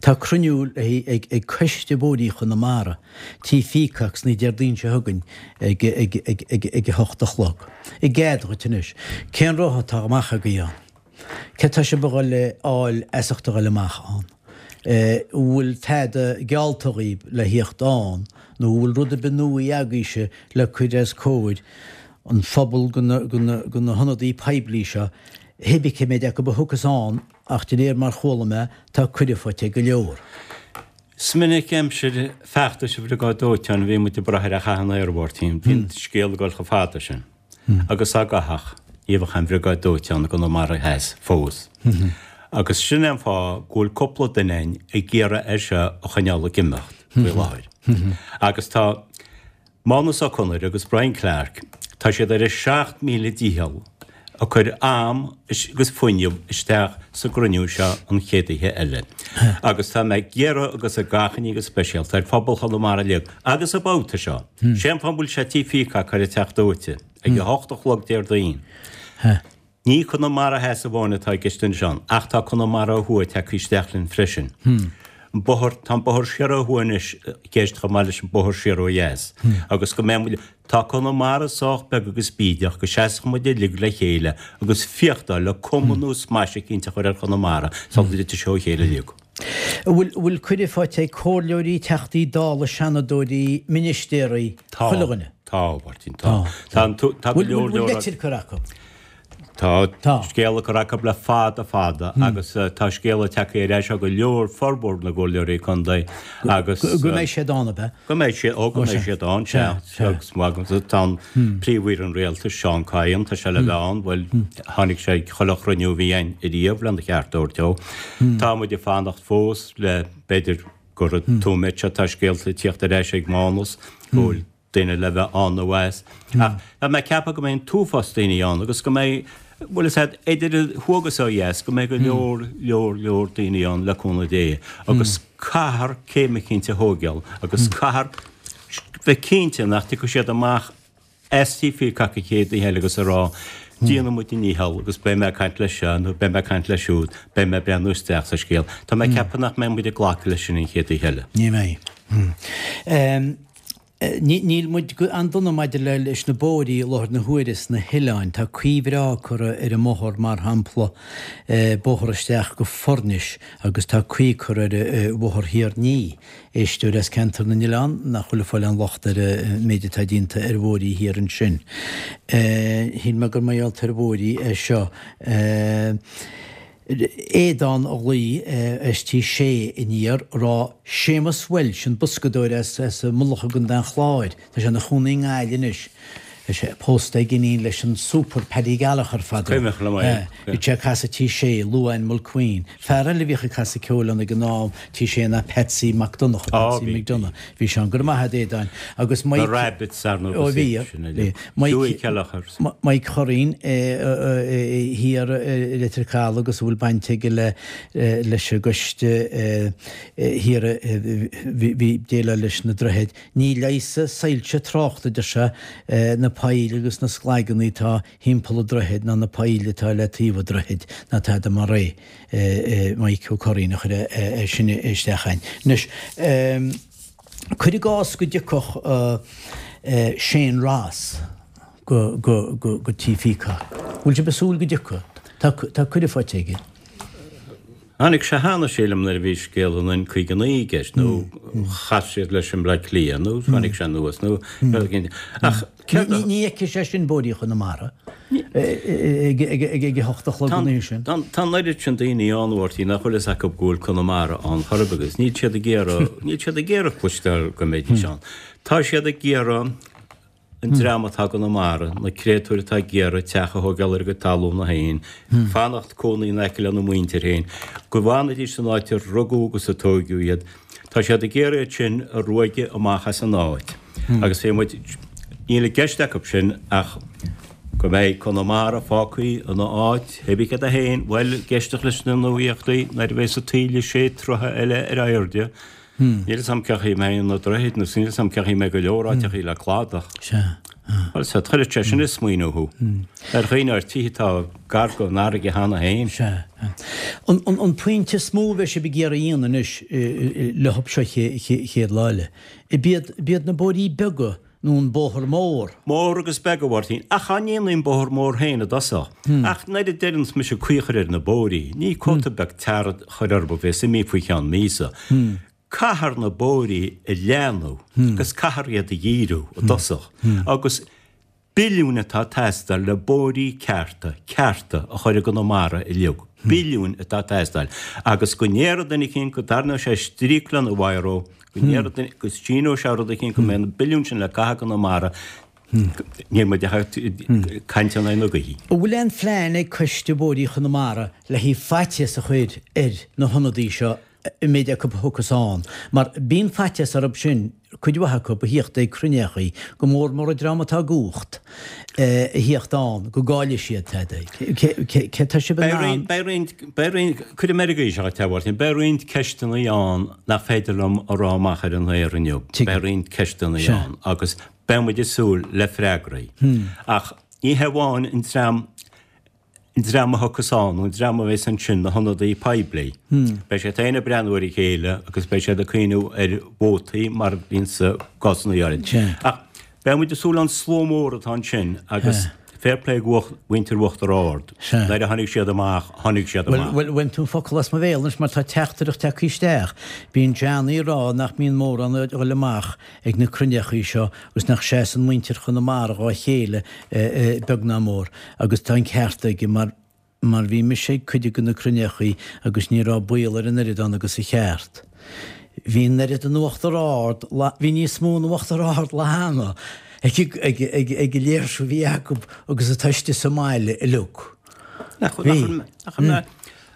Tá cruinniú ag ag Coiste Bóithrí Chonamara, Tí Pheacocks an Déardaoin seo chugainn ag ag ag ag ag a hocht a chlog. I gcead dhuit anois. Cén rogha atá amach agaibh ann? Céard tá sibh a dhul a fháil as ucht a dhul amach ann? An bhfuil tada geallta dhaoib le thíocht ann nó an bhfuil rud ar bith nua agaibhse le cur os comhair an phobail go na go na go na hionadaí poiblí seo, hibé cé méid acu a thiocfas ann ach de réir mar chuala mé tá cuireadh faighte ag go leor. Is minic aimsir feachtais an Bhriogáid Dóiteáin a bhí muid ag brath ar a chath an aeir, a Mháirtín. Bhí an scéal ag dul chomh fada sin. Agus dá gcaithfeadh, ní bheadh aon Bhriogáid Dóiteáin i gConamara Theas fós. Agus sin é an fáth go bhfuil cúpla duine againn ag iarraidh é seo a choinneáil ag imeacht faoi láthair. Agus tá Mánus Ó Conaire agus Brian Clarke, tá siad ar a seacht míle dícheall ag cur am agus fuinneamh isteach sa gcruinniú seo an chéad oíche eile. Agus tá mé ag iarraidh agus ag achainí go speisialta ar phobal Chonamara uilig agus an babhta seo, sé an fáth an bhfuil sé Tí Peacock ar an teach dóite ag a hocht a chlog Déardaoin. Ní Conamara Theas amháin atá i gceist ansin, ach tá Conamara ó thuaidh tagtha isteach linn freisin. An bóthar, tá an bóthar siar ó thuaidh anois i gceist chomh maith leis an bóthar siar ó dheas. Agus go mbeidh muid, tá Conamara sách beag agus bídeach go seasfadh muid uilig le chéile agus féachtáil le cuma nó smais eicínt a chur ar Chonamara sula dtitfidh sé ó chéile uilig. An bhfuil, an bhfuil cuireadh faighte ag comhairleoirí, teachtaí dála, seanadóirí, ministéirí, Tá, chuile dhuine? tá, a Mháirtín, tá. Tá an, tá go Bhfuil, leor bhfuil leor. leitir curtha acu? Tá scéala curtha acu le fada fada agus tá scéala tagtha ar ais ó go leor formhór na gcomhairleoirí contae agus. Go mbeidh siad ann, ab ea? Go mbeidh siad, ó go mbeidh siad ann, sea. Agus tá an Príomh-Aoire an Rialtais, Seán Kyne, tá sé le bheith ann, bhuel, tháinig sé ag chuile chruinniú a bhí ann ariamh lena cheart a thabhairt dó. Tá muid ag fanacht fós le, b'fhéidir gur an nóiméad seo tá scéalta ag tíocht ar ais ag Mánas go bhfuil duine le bheith ann nó as. Ach tá mé ag ceapadh go mbeidh an t-uafás daoine ann agus go mbeidh, bhfuil fhios a'd, idir thuaidh agus ó dheas, go mbeidh go leor, leor, leor daoine ann le cúnamh Dé agus caithfear céim eicínt a thóigeáil agus caithfear bheith cinnte nach dtiocfaidh siad amach as Tigh Peacock an chéad oíche eile agus a rá, déanfaidh muid ár ndícheall agus beidh mé ag caint leis seo nó beidh mé ag caint leis siúd, beidh mé ag breathnú isteach sa scéal. Tá mé ag ceapadh nach mbeidh muid ag glacadh leis sin an chéad oíche eile. Ní bheidh. Níl muid an-dona maidir le leis na bóithrí i láthair na huaire sna hoileáin. Tá caoi bhreá curtha ar an mbóthar, mar shampla, bóthar isteach go Foirnis agus tá caoi curtha ar Bhóthar Thír an Fhia. Éisteoir as Ceantar na nOileán nach bhfuil ag fáil aon locht ar an méid atá déanta ar bhóithrí thiar ansin. Shíl mé gur mar gheall ar bhóithrí é seo. Aodán a ghlaoigh as Tigh Sé aniar ag rá Séamus Walsh, an boscadóir as as Mullach i gContae an Chláir, tá sé ina chónaí i nGaillimh anois. Tá sé pósta ag iníon leis an Super Paddy Gallagher fadó. Cuimhneach liom é. Bhí sé ag casadh Tigh Sé, Luan Mulqueen. Fear eile a bhíodh ag casadh ceoil ann ag an am, Tigh Sé ná Patsy Mac Donncha, Patsy McDonagh. Bhí sé ann. Go raibh maith agat Aodáin. Agus Mike. Na Rabbits ar ndóigh. Ó bhí. Bhí. Hughie Kelleher. Mike Churraoin thiar i Leitir Caladh agus a bhfuil baint aige le leis an gcoiste thiar a bhí ag déileáil leis na droichid. Ní leigheasfaidh soilse tráchta, a deir sé, na poill agus na sclaigeanna atá thimpeall an droichid ná na poill atá le taobh an droichid ná tada mar é. Mike Ó Curraoin a chuir é sin isteach againn. Anois, cuir i gcás go dtiocfadh Shane Ross go go go go Tigh Peacock. Bhfuil sibh ag súil go dtiocfaidh? Tá tá cuireadh faighte aige. Tháinig sé cheana, sílim, nuair a bhí scéal an N caoga naoi i gceist, nó chas siad leis i mBleá Cliath, nó tháinig sé anuas, nó rud éigin. Ach céard a. Ní fheicfidh sé sin bóithrí Chonamara ag ag a hocht a chlog an oíche sin. Tá an oiread sin daoine ann, a Mháirtín, nach bhfuil fhios acu go bhfuil Conamara ann chor ar bith agus níl siad ag iarraidh, níl siad ag iarraidh cloisteáil go mbeidís ann. Tá siad ag iarraidh an dream atá i gConamara, na créatúir atá ag iarraidh teach a thógáil ar a gcuid talúna féin, fanacht cónaí in aice lena muintir féin, go bhfanfaidís san áit ar rugadh agus a tóigeadh iad. Tá siad ag iarraidh iad sin a ruaigeadh amach as an áit. Agus bhí muid, níl i gceist acu sin ach go mbeidh Conamara fágtha ina áit, hé bí céard é féin, bhuel, ag éisteacht leis na nuaíochtaí nuair a bheas an taoille sé troithe eile ar airde, Níl fhios a'm cén chaoi a mbeidh na droichid nó níl fhios a'm cén chaoi a mbeidh go leor áiteachaí le cladach. Sea. Bhuel, sea, chuirfeadh sé sin ag smaoineamh thú. Ar dhaoine ar tithe atá gar don fharraige cheana féin. Sea. An, an, an pointe is mó a bheidh sibh ag iarraidh a dhéanamh anois leo seo chéad lá eile, ab iad, ab iad na bóithrí beaga nó an bóthar mór. Mór agus beag, a Mháirtín, ach cha ndéanfaí an bóthar mór féin i dtosach. Ach nuair a deireanns mise caoi a chur ar na bóithrí, ní cóta beag tar a chur orthu a bheas imithe faoi cheann míosa. Caithfear na bóithrí a leathnú agus caithfear iad a dhíriú i dtosach. Agus billiúin atá ag teastáil le bóithrí cearta, cearta, a chur i gConamara uilig. Billiúin atá ag teastáil. Agus go ndéarfaidh duine eicínt go dtarraingeoidh sé stríoc lena bhiro, go ndéarfaidh duine, go síneoidh sé rud eicínt go mbeidh na billiúin sin le caitheamh i gConamara, níl muid ach ag caint in aghaidh na gaoithe. An bhfuil aon phlean ag Coiste Bóithrí Chonamara le haghaidh faitíos a chur ar na hionadaithe seo an méid acu a thiocfas ann, mar bíonn faitíos orthu sin, cuid mhaith acu, a thíocht ag cruinneachaí, go mór mór an dream atá i gcumhacht, a thíocht ann, go gcaillfidh siad tada. Cé tá sibh in ann? Beidh roinnt, beidh roinnt, cuirfidh mé ar an gcaoi seo dhuit, a Mháirtín, beidh roinnt ceisteanna ann nach féidir liom a rá amach ar an aer inniu. Beidh roinnt ceisteanna ann agus beidh muid ag súil le freagraí. Ach ní hé amháin an dream, an dream a thiocfas ann, nó an dream a bheas ansin, na hionadaithe poiblí. Beidh siad féin ag breathnú ar a chéile agus beidh siad ag cuimhniú ar vótaí mar a bhíonn i gcásanna áirid. Ach beidh muid ag súil an slua mór atá ansin agus Fair play go mhuintir Uachtar Ard. Nuair a tháinig siad amach, tháinig siad amach. Bhuel, bhain tú an focal as mo bhéal anois mar tá teachtaireacht tagtha isteach. Bíonn Johnny ag rá nach mbíonn mórán ag dul amach ag na cruinneachaí seo agus nach seasann muintir Chonamara dhá chéile beag ná mór agus tá an ceart aige mar mar bhí mise ag cuid de na cruinneachaí agus ní raibh baol ar an oiread ann agus a cheart. Bhí an oiread in Uachtar Ard, bhí níos mó in Uachtar Ard lá cheana ag ag ag ag an léirsiú a bhí acu agus atá istigh sa mbaile uilig. Nach bhfuil, nach bhfuil,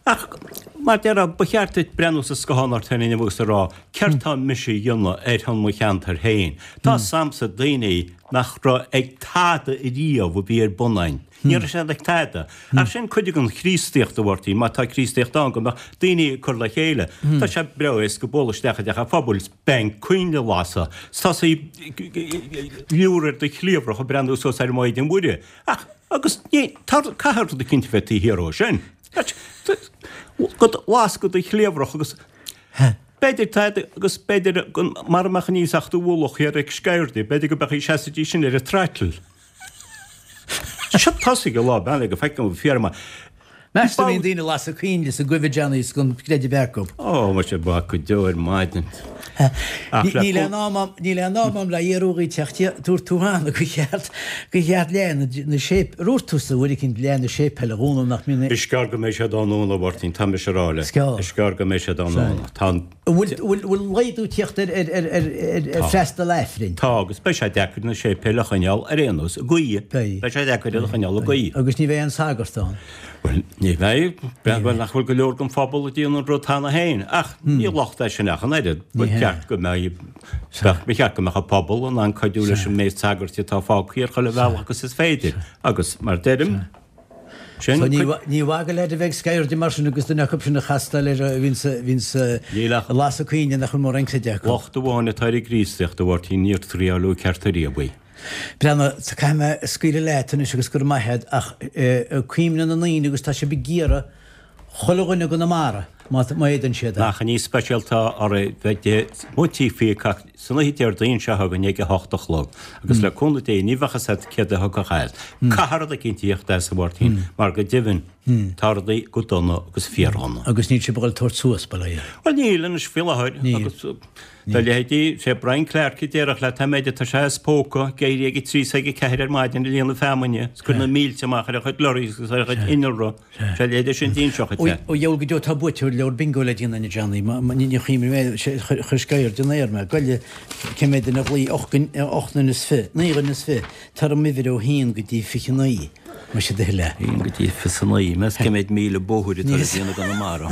ach mar déarfá, ba cheart duit breathnú sa scáthán ort féin inniu agus a rá, céard tá mise a dhéanamh ar shon mo cheantair féin? Tá 's a'msa daoine nach raibh ag tada ariamh a bhí ar bun againn. Ní raibh siad ag tada. Ach sin cuid den Chríostaíocht, a Mháirtín, má tá Críostaíocht ann, go mbeadh daoine ag cur le chéile. Tá sé breá éasca bualadh isteach i dteach an phobail 's bean coinnle a lasadh, 's tosaí ag liúr ar do chliabhrach ag breathnú suas ar an Maighdean Mhuire. Ach, agus ní, tá, caithfidh rud eicínt a bheith taobh thiar dhó sin. Go lascadh do chliabhrach agus b'fhéidir tada agus b'fhéidir go mara mbeadh an iasacht a bhualfadh thiar ag Sceirde, b'fhéidir go mbeadh seasaidís sin ar an throttle. Seo tosaigh an lá beannaithe go feicim an fíor maith. Meas tú an mbíonn daoine ag lasadh coinnle is ag goimh Johnny is gan creideamh bheith acu. Ó, muise ba go deo ar maidin. Ach le Níl aon am a'm, níl aon am a'm le iarraidh dhuit teacht thiar, dúirt tú cheana gur cheart, gur cheart leath na, na séip, ar dhúirt tusa uair eicínt leath na séipéil a dhúnadh nach mbíonn Is gearr go mbeidh siad á ndúnadh, a Mháirtín, tá mise a rá leat. Is gearr. Is gearr go mbeidh siad á ndúnadh. Tá an. An bhfuil, bhfuil, bhfuil laghdú tíocht ar, ar, ar, ar, ar, ar freastal Aifrinn? Tá, agus beidh sé deacair na séipéil a choinneáil ar aon nós, i gcaoi. Beidh. Beidh sé deacair iad a choinneáil i gcaoi. Agus ní bheidh aon sagart ann. Bhuel, ní bheidh. Bhuel, nach bhfuil go leor den phobal a déanann an rud cheana féin. Ach ní locht é sin ach an oiread. Ba cheart go mbeidh, ba cheart go mbeadh an pobal in ann cuidiú leis an méid sagairt atá fágtha ar chuile bhealach agus is féidir. Agus mar deirim, sin So ní, ní mhaith go leid a bheith ag sceirde mar sin agus duine acu sin a chastáil ar a bhíonn sa, bhíonn sa, Níl ach. lasadh coinnle nach bhfuil mórán creideamh acu. Locht amháin atá ar an gCríostaíocht, a Mháirtín, níor triáileadh ceart ariamh í. Breathnaigh, caithfidh mé scaoileadh leat anois agus go raibh maith agat ach cuimhnigh na ndaoine agus tá sibh ag iarraidh chuile dhuine i gConamara má fhéadann siad é. Achainí speisialta oraibh bheith amuigh Tigh Pheacock san oíche Déardaoin seo chugainn ag a hocht a chlog agus le cúnamh Dé ní bheadh fhios agat céard a thiocfadh as. Caithfidh rud eicínt a thíocht as, a Mháirtín, mar go deimhin tá rudaí go dona agus fíordhona. Agus níl sibh ag dul tabhairt suas, bail ó Dhia. Bhuel níl anois faoi láthair agus Dá leithéidí, sé Brian Clarke a déarfadh leat an méid atá sé as póca, ag éirí ag a trí is ag a ceathair ar maidin ag líonadh feamainne, is cur na mílte amach ar a chuid lorries agus ar a chuid innealra. Sé a leithéide sin d'inseochadh Ó sé. dheabhail go deo tá buaiteoir leabhar bingo le déanamh Johnny. Ní chuimhním é, chuir sceirde in aer mé. Goile, cé mhéad duine a ghlaoigh? Ocht nduine is fiche, naoi dhuine is fiche. Tabhair dom uimhir ó haon go dtí fiche naoi. Más é do thoil é. Haon go dtí fiche a naoi. Meas cé mhéad míle bóthair atá le déanamh i gConamara.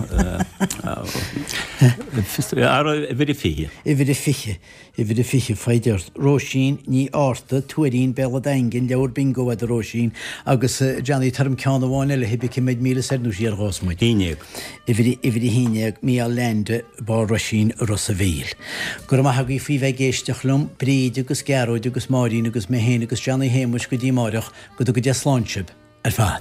Ara, uimhir a fiche. Uimhir a fiche. Uimhir a fiche, foighid ort. Róisín Ní Fhátharta, Tuairín, Béal an Daingin, leabhar bingo agat a Róisín. Agus Johnny, tabhair dom ceann amháin eile, cibé cé mhéad míle soir nó siar a ghabhfas muid. Haon déag. Uimhir, uimhir a haon déag, Mícheál Leainde, Barr Roisín, Ros a' Mhíl. Go raibh maith agaibh faoi bheith ag éisteacht liom, Bríd agus Gearóid agus Máirín agus mé féin agus Johnny Shéamuis go dtí amáireach. Go dtuga Dia slán sibh ar fad.